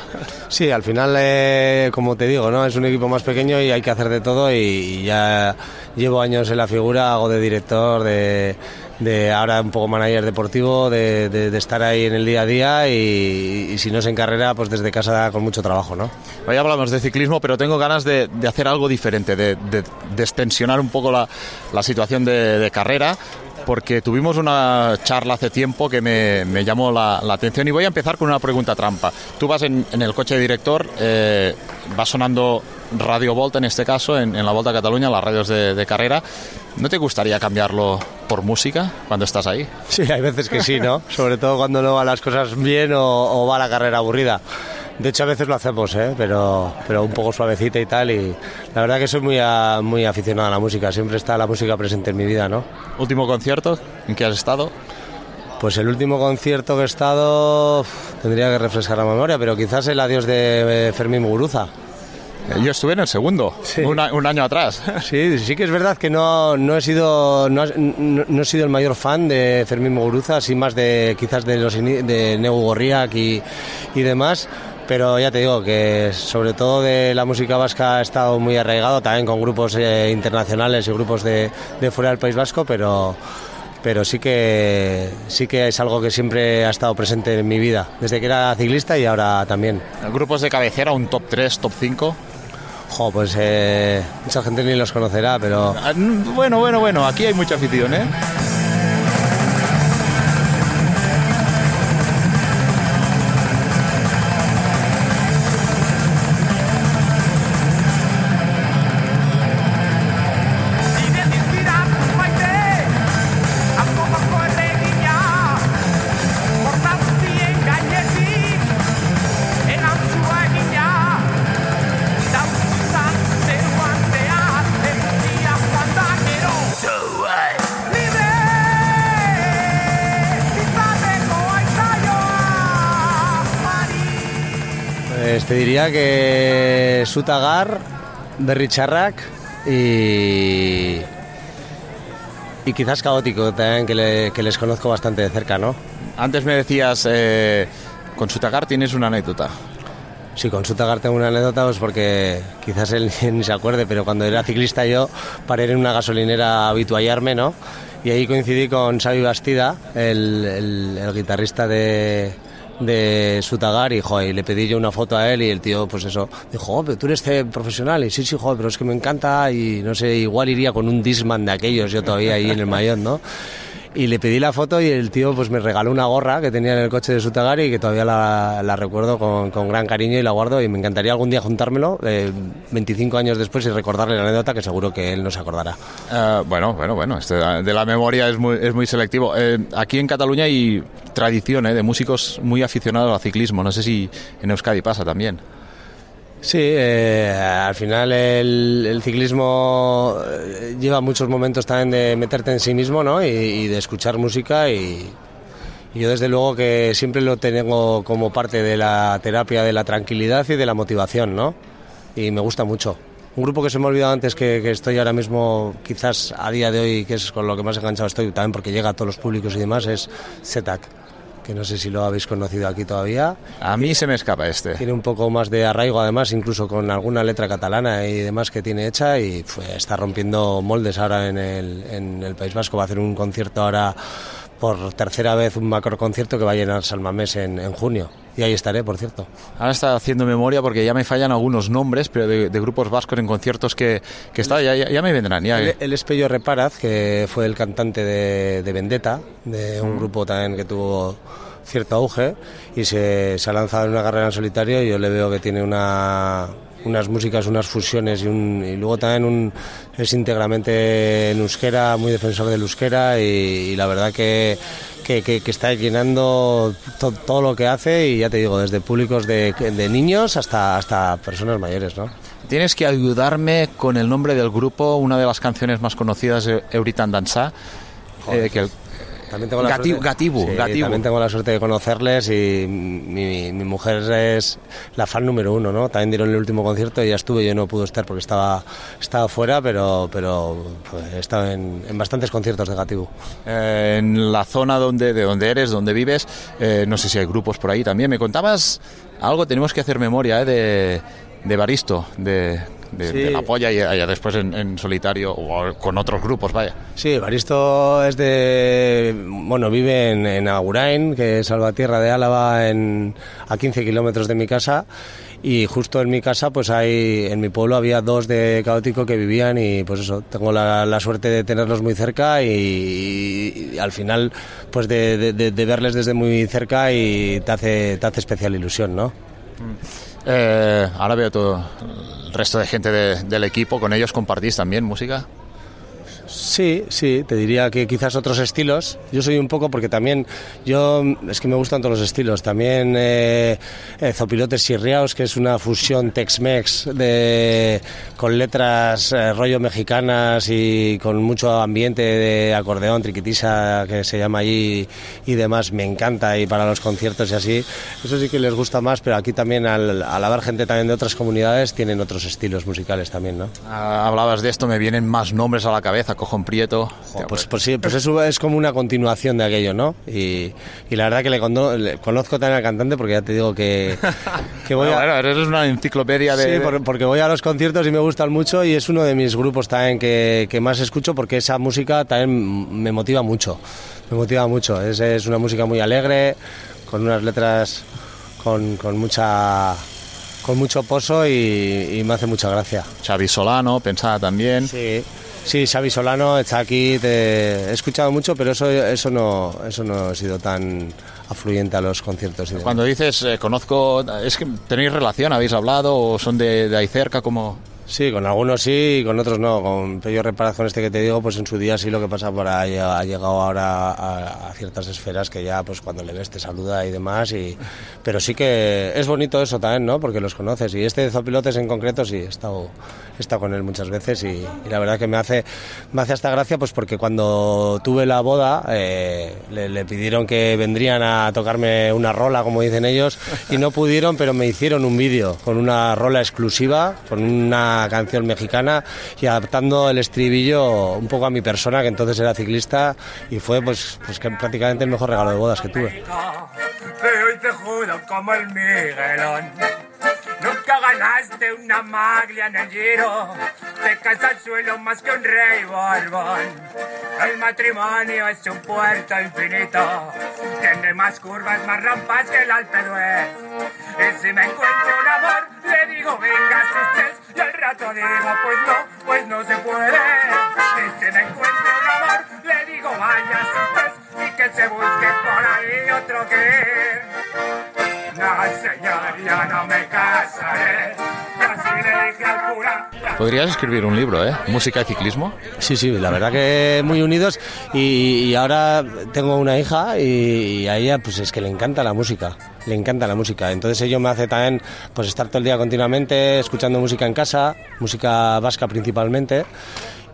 Sí, al final, eh, como te digo, ¿no? Es un equipo más pequeño y hay que hacer de todo y, y ya llevo años en la figura, hago de director, de, de ahora un poco manager deportivo, de, de, de estar ahí en el día a día y, y si no es en carrera, pues desde casa con mucho trabajo, ¿no? Hoy hablamos de ciclismo, pero tengo ganas de, de hacer algo diferente, de, de destensionar un poco la, la situación de, de carrera, porque tuvimos una charla hace tiempo que me, me llamó la, la atención y voy a empezar con una pregunta trampa. Tú vas en, en el coche de director, eh, va sonando Radio Volta en este caso, en, en la Volta a Cataluña, las radios de, de carrera. ¿No te gustaría cambiarlo por música cuando estás ahí? Sí, hay veces que sí, ¿no? Sobre todo cuando no van las cosas bien o, o va la carrera aburrida. De hecho, a veces lo hacemos, ¿eh? pero, pero un poco suavecita y tal. Y la verdad que soy muy, a, muy aficionado a la música. Siempre está la música presente en mi vida, ¿no? ¿Último concierto en que has estado? Pues el último concierto que he estado tendría que refrescar la memoria, pero quizás el adiós de Fermín Muguruza. Yo estuve en el segundo, sí. un, un año atrás. Sí, sí que es verdad que no, no he sido no, no, no he sido el mayor fan de Fermín Muguruza, así más de quizás de los de Negu Gorriak y, y demás. Pero ya te digo que sobre todo de la música vasca ha estado muy arraigado, también con grupos eh, internacionales y grupos de, de fuera del País Vasco, pero, pero sí que sí que es algo que siempre ha estado presente en mi vida, desde que era ciclista y ahora también. ¿Grupos de cabecera, un top tres, top cinco? Jo, pues eh, mucha gente ni los conocerá, pero... Bueno, bueno, bueno, aquí hay mucha afición, ¿eh? Te diría que Sutagar, Berritxarrak y, y quizás Caótico también, que, le, que les conozco bastante de cerca, ¿no? Antes me decías, eh, con Sutagar tienes una anécdota. Sí, con Sutagar tengo una anécdota, pues porque quizás él ni se acuerde, pero cuando era ciclista yo paré en una gasolinera a habituallarme, ¿no? Y ahí coincidí con Xavi Bastida, el, el, el guitarrista de... de Sutagar y, joder, le pedí yo una foto a él y el tío, pues eso, dijo, oh, pero tú eres profesional y sí, sí, joder, pero es que me encanta y no sé, igual iría con un Discman de aquellos yo todavía ahí en el Mayón, ¿no? Y le pedí la foto y el tío pues me regaló una gorra que tenía en el coche de Sutagar y que todavía la, la recuerdo con, con gran cariño y la guardo y me encantaría algún día juntármelo eh, veinticinco años después y recordarle la anécdota que seguro que él no se acordará. Uh, bueno, bueno, bueno, este de la memoria es muy, es muy selectivo. Eh, aquí en Cataluña hay tradición eh, de músicos muy aficionados al ciclismo, no sé si en Euskadi pasa también. Sí, eh, al final el, el ciclismo lleva muchos momentos también de meterte en sí mismo, ¿no? Y, y de escuchar música y, Y yo desde luego que siempre lo tengo como parte de la terapia de la tranquilidad y de la motivación, ¿no? Y me gusta mucho. Un grupo que se me ha olvidado antes, que, que estoy ahora mismo, quizás a día de hoy, que es con lo que más enganchado estoy, también porque llega a todos los públicos y demás, es Z A C, que no sé si lo habéis conocido aquí todavía. A mí se me escapa este. Tiene un poco más de arraigo, además, incluso con alguna letra catalana y demás que tiene hecha, y pues, está rompiendo moldes ahora en el, en el País Vasco. Va a hacer un concierto ahora por tercera vez, un macro concierto que va a llenar San Mamés en, en junio. Y ahí estaré, por cierto. Ahora está haciendo memoria porque ya me fallan algunos nombres, pero de, de grupos vascos en conciertos que, que está, ya, ya, ya me vendrán. Ya. El, el Espello Reparaz, que fue el cantante de, de Vendetta, de un mm. grupo también que tuvo cierto auge, y se, se ha lanzado en una carrera en solitario, y yo le veo que tiene una... unas músicas, unas fusiones y, un, y luego también un, es íntegramente en euskera, muy defensor del euskera, y, y la verdad que, que, que, que está llenando to, todo lo que hace, y ya te digo, desde públicos de, de niños hasta, hasta personas mayores, ¿no? Tienes que ayudarme con el nombre del grupo, una de las canciones más conocidas de Euritan Danza, eh, que el, También tengo, la Gatibu, suerte, Gatibu, sí, Gatibu. también tengo la suerte de conocerles, y mi, mi mujer es la fan número uno, ¿no? También dieron el último concierto y ya estuve, yo no pude estar porque estaba, estaba fuera, pero, pero pues, he estado en, en bastantes conciertos de Gatibu. Eh, en la zona donde, de donde eres, donde vives, eh, no sé si hay grupos por ahí también. Me contabas algo, tenemos que hacer memoria, ¿eh? de, de Baristo, de... De, sí. de la polla, y ya después en, en solitario o con otros grupos, vaya. Sí, Baristo es de... Bueno, vive en, en Agurain, que es Salvatierra de Álava, en, a quince kilómetros de mi casa, y justo en mi casa, pues hay, en mi pueblo había dos de Caótico que vivían, y pues eso, tengo la, la suerte de tenerlos muy cerca, y, y, y al final, pues de, de, de verles desde muy cerca, y te hace, te hace especial ilusión, ¿no? Eh, ahora veo todo el resto de gente de, del equipo, ¿con ellos compartís también música? Sí, sí, te diría que quizás otros estilos. Yo soy un poco, porque también yo, es que me gustan todos los estilos. También eh, eh, Zopilotes Chirriaos, que es una fusión Tex-Mex de, con letras eh, rollo mexicanas y con mucho ambiente de acordeón, triquitisa, que se llama allí, y demás. Me encanta, y para los conciertos y así, eso sí que les gusta más, pero aquí también al, al haber gente también de otras comunidades, tienen otros estilos musicales también, ¿no? Ah, hablabas de esto, me vienen más nombres a la cabeza. Cojón Prieto. Oh, pues, pues sí, pues eso es como una continuación de aquello, ¿no? Y, y la verdad que le, cono, le conozco también al cantante, porque ya te digo que, que voy bueno, a... Bueno, eres una enciclopedia de... Sí, por, porque voy a los conciertos y me gustan mucho, y es uno de mis grupos también que, que más escucho, porque esa música también me motiva mucho. Me motiva mucho. Es, es una música muy alegre, con unas letras con, con mucha... con mucho pozo, y, y me hace mucha gracia. Xavi Solano, pensaba también. Sí. Sí, Xavi Solano está aquí, te he escuchado mucho, pero eso eso no eso no ha sido tan afluyente a los conciertos. Cuando dices eh, conozco, ¿es que tenéis relación, habéis hablado, o son de, de ahí cerca, como...? Sí, con algunos sí y con otros no. Con Pello Reparaz, con este que te digo, pues en su día sí, lo que pasa por ahí ha llegado ahora a, a ciertas esferas que ya pues cuando le ves te saluda y demás, y pero sí que es bonito eso también, ¿no? Porque los conoces, y este de Zopilotes en concreto sí, he estado, he estado con él muchas veces, y, y la verdad que me hace me hace hasta gracia, pues porque cuando tuve la boda eh, le, le pidieron que vendrían a tocarme una rola, como dicen ellos, y no pudieron, pero me hicieron un vídeo con una rola exclusiva, con una canción mexicana, y adaptando el estribillo un poco a mi persona, que entonces era ciclista, y fue pues, pues que prácticamente el mejor regalo de bodas que tuve. Pero hoy te juro como el Miguelón, nunca ganaste una maglia en el Giro, te caes al suelo más que un rey borbón. El matrimonio es un puerto infinito, tiene más curvas, más rampas que el Alpe d'Huez. Y si me encuentro un amor, le digo venga sus tres, y al rato digo pues no, pues no se puede. Y si me encuentro un amor, le digo vaya sus tres, y que se busque por ahí otro que... No, señor, ya no me casaré. Así le dije al cura. Podrías escribir un libro, ¿eh? Música y ciclismo. Sí, sí, la verdad que muy unidos, y, y ahora tengo una hija, y, y a ella pues es que le encanta la música. Le encanta la música, entonces ello me hace también pues estar todo el día continuamente escuchando música en casa, música vasca principalmente,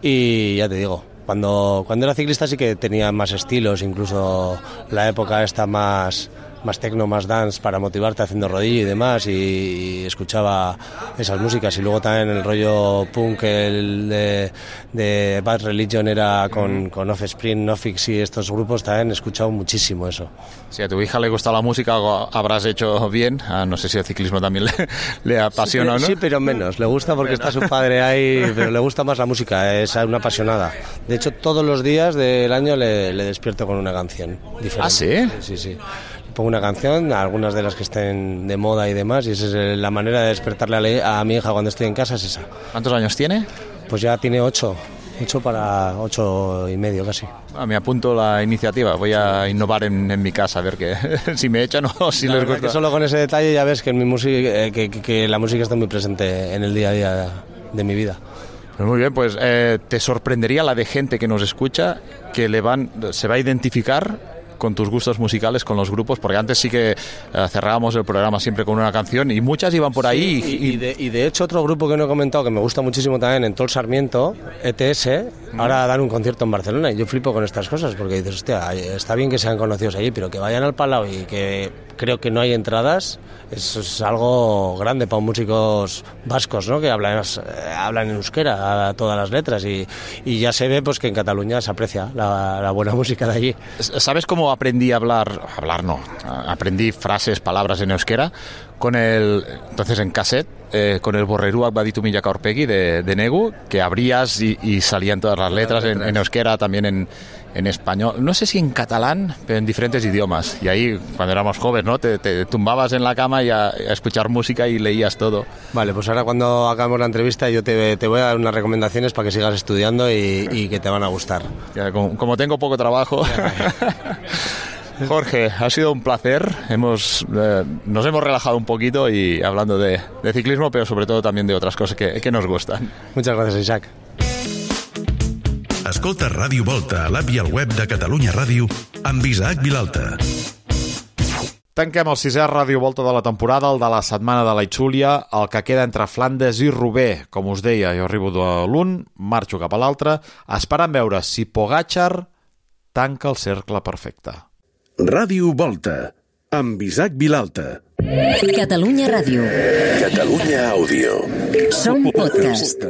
y ya te digo, Cuando, cuando era ciclista sí que tenía más estilos, incluso la época esta más... más techno, más dance para motivarte haciendo rodillo y demás, y, y escuchaba esas músicas. Y luego también el rollo punk el de, de Bad Religion era con, con Offspring, Nofix y estos grupos, también he escuchado muchísimo eso. Si a tu hija le gusta la música, algo habrás hecho bien. Ah, no sé si el ciclismo también le, le apasiona, sí, ¿no? Sí, pero menos. Le gusta porque está su padre ahí, pero le gusta más la música, es una apasionada. De hecho, todos los días del año le, le despierto con una canción diferente. ¿Ah, sí? Sí, sí, sí. Pongo una canción, algunas de las que estén de moda y demás, y esa es la manera de despertarle a, a mi hija cuando estoy en casa, es esa. ¿Cuántos años tiene? Pues ya tiene ocho, ocho para ocho y medio casi. Ah, me apunto la iniciativa, voy a innovar en, en mi casa, a ver que, si me echan o si la les gusta. Que solo con ese detalle ya ves que, en mi música, eh, que, que, que la música está muy presente en el día a día de, de mi vida. Pues muy bien, pues eh, te sorprendería la de gente que nos escucha, que le van, se va a identificar con tus gustos musicales, con los grupos, porque antes sí que eh, cerrábamos el programa siempre con una canción y muchas iban por ahí. Sí, y, y, de, y de hecho otro grupo que no he comentado que me gusta muchísimo también, en Tol Sarmiento, E T S, mm. ahora dan un concierto en Barcelona y yo flipo con estas cosas porque dices, hostia, está bien que sean conocidos allí, pero que vayan al Palau y que creo que no hay entradas, eso es algo grande para músicos vascos, ¿no? Que hablan, eh, hablan en euskera a todas las letras y, y ya se ve pues que en Cataluña se aprecia la, la buena música de allí. ¿Sabes cómo aprendí a hablar? Hablar no, aprendí frases, palabras en euskera con el, entonces en cassette, eh, con el Borreruak Baditu Milaka Aurpegi de, de Negu, que abrías y, y salían todas las letras en, en euskera, también en, en español, no sé si en catalán, pero en diferentes idiomas. Y ahí, cuando éramos jóvenes, ¿no? Te, te tumbabas en la cama y a, a escuchar música y leías todo. Vale, pues ahora cuando acabemos la entrevista yo te, te voy a dar unas recomendaciones para que sigas estudiando y, y que te van a gustar. Ya, como, como tengo poco trabajo... Jorge, ha sido un placer. Hemos, eh, nos hemos relajado un poquito y hablando de, de ciclismo, pero sobre todo también de otras cosas que, que nos gustan. Muchas gracias, Isaac. Escolta Ràdio Volta a l'app i al web de Catalunya Ràdio amb Isaac Vilalta. Tanquem el sisè Ràdio Volta de la temporada, el de la setmana de la Itxúlia, el que queda entre Flandes i Roubaix. Com us deia, jo arribo de l'un, marxo cap a l'altre, esperant veure si Pogačar tanca el cercle perfecte. Ràdio Volta, amb Isaac Vilalta. Catalunya Ràdio. Catalunya Àudio. Som podcast.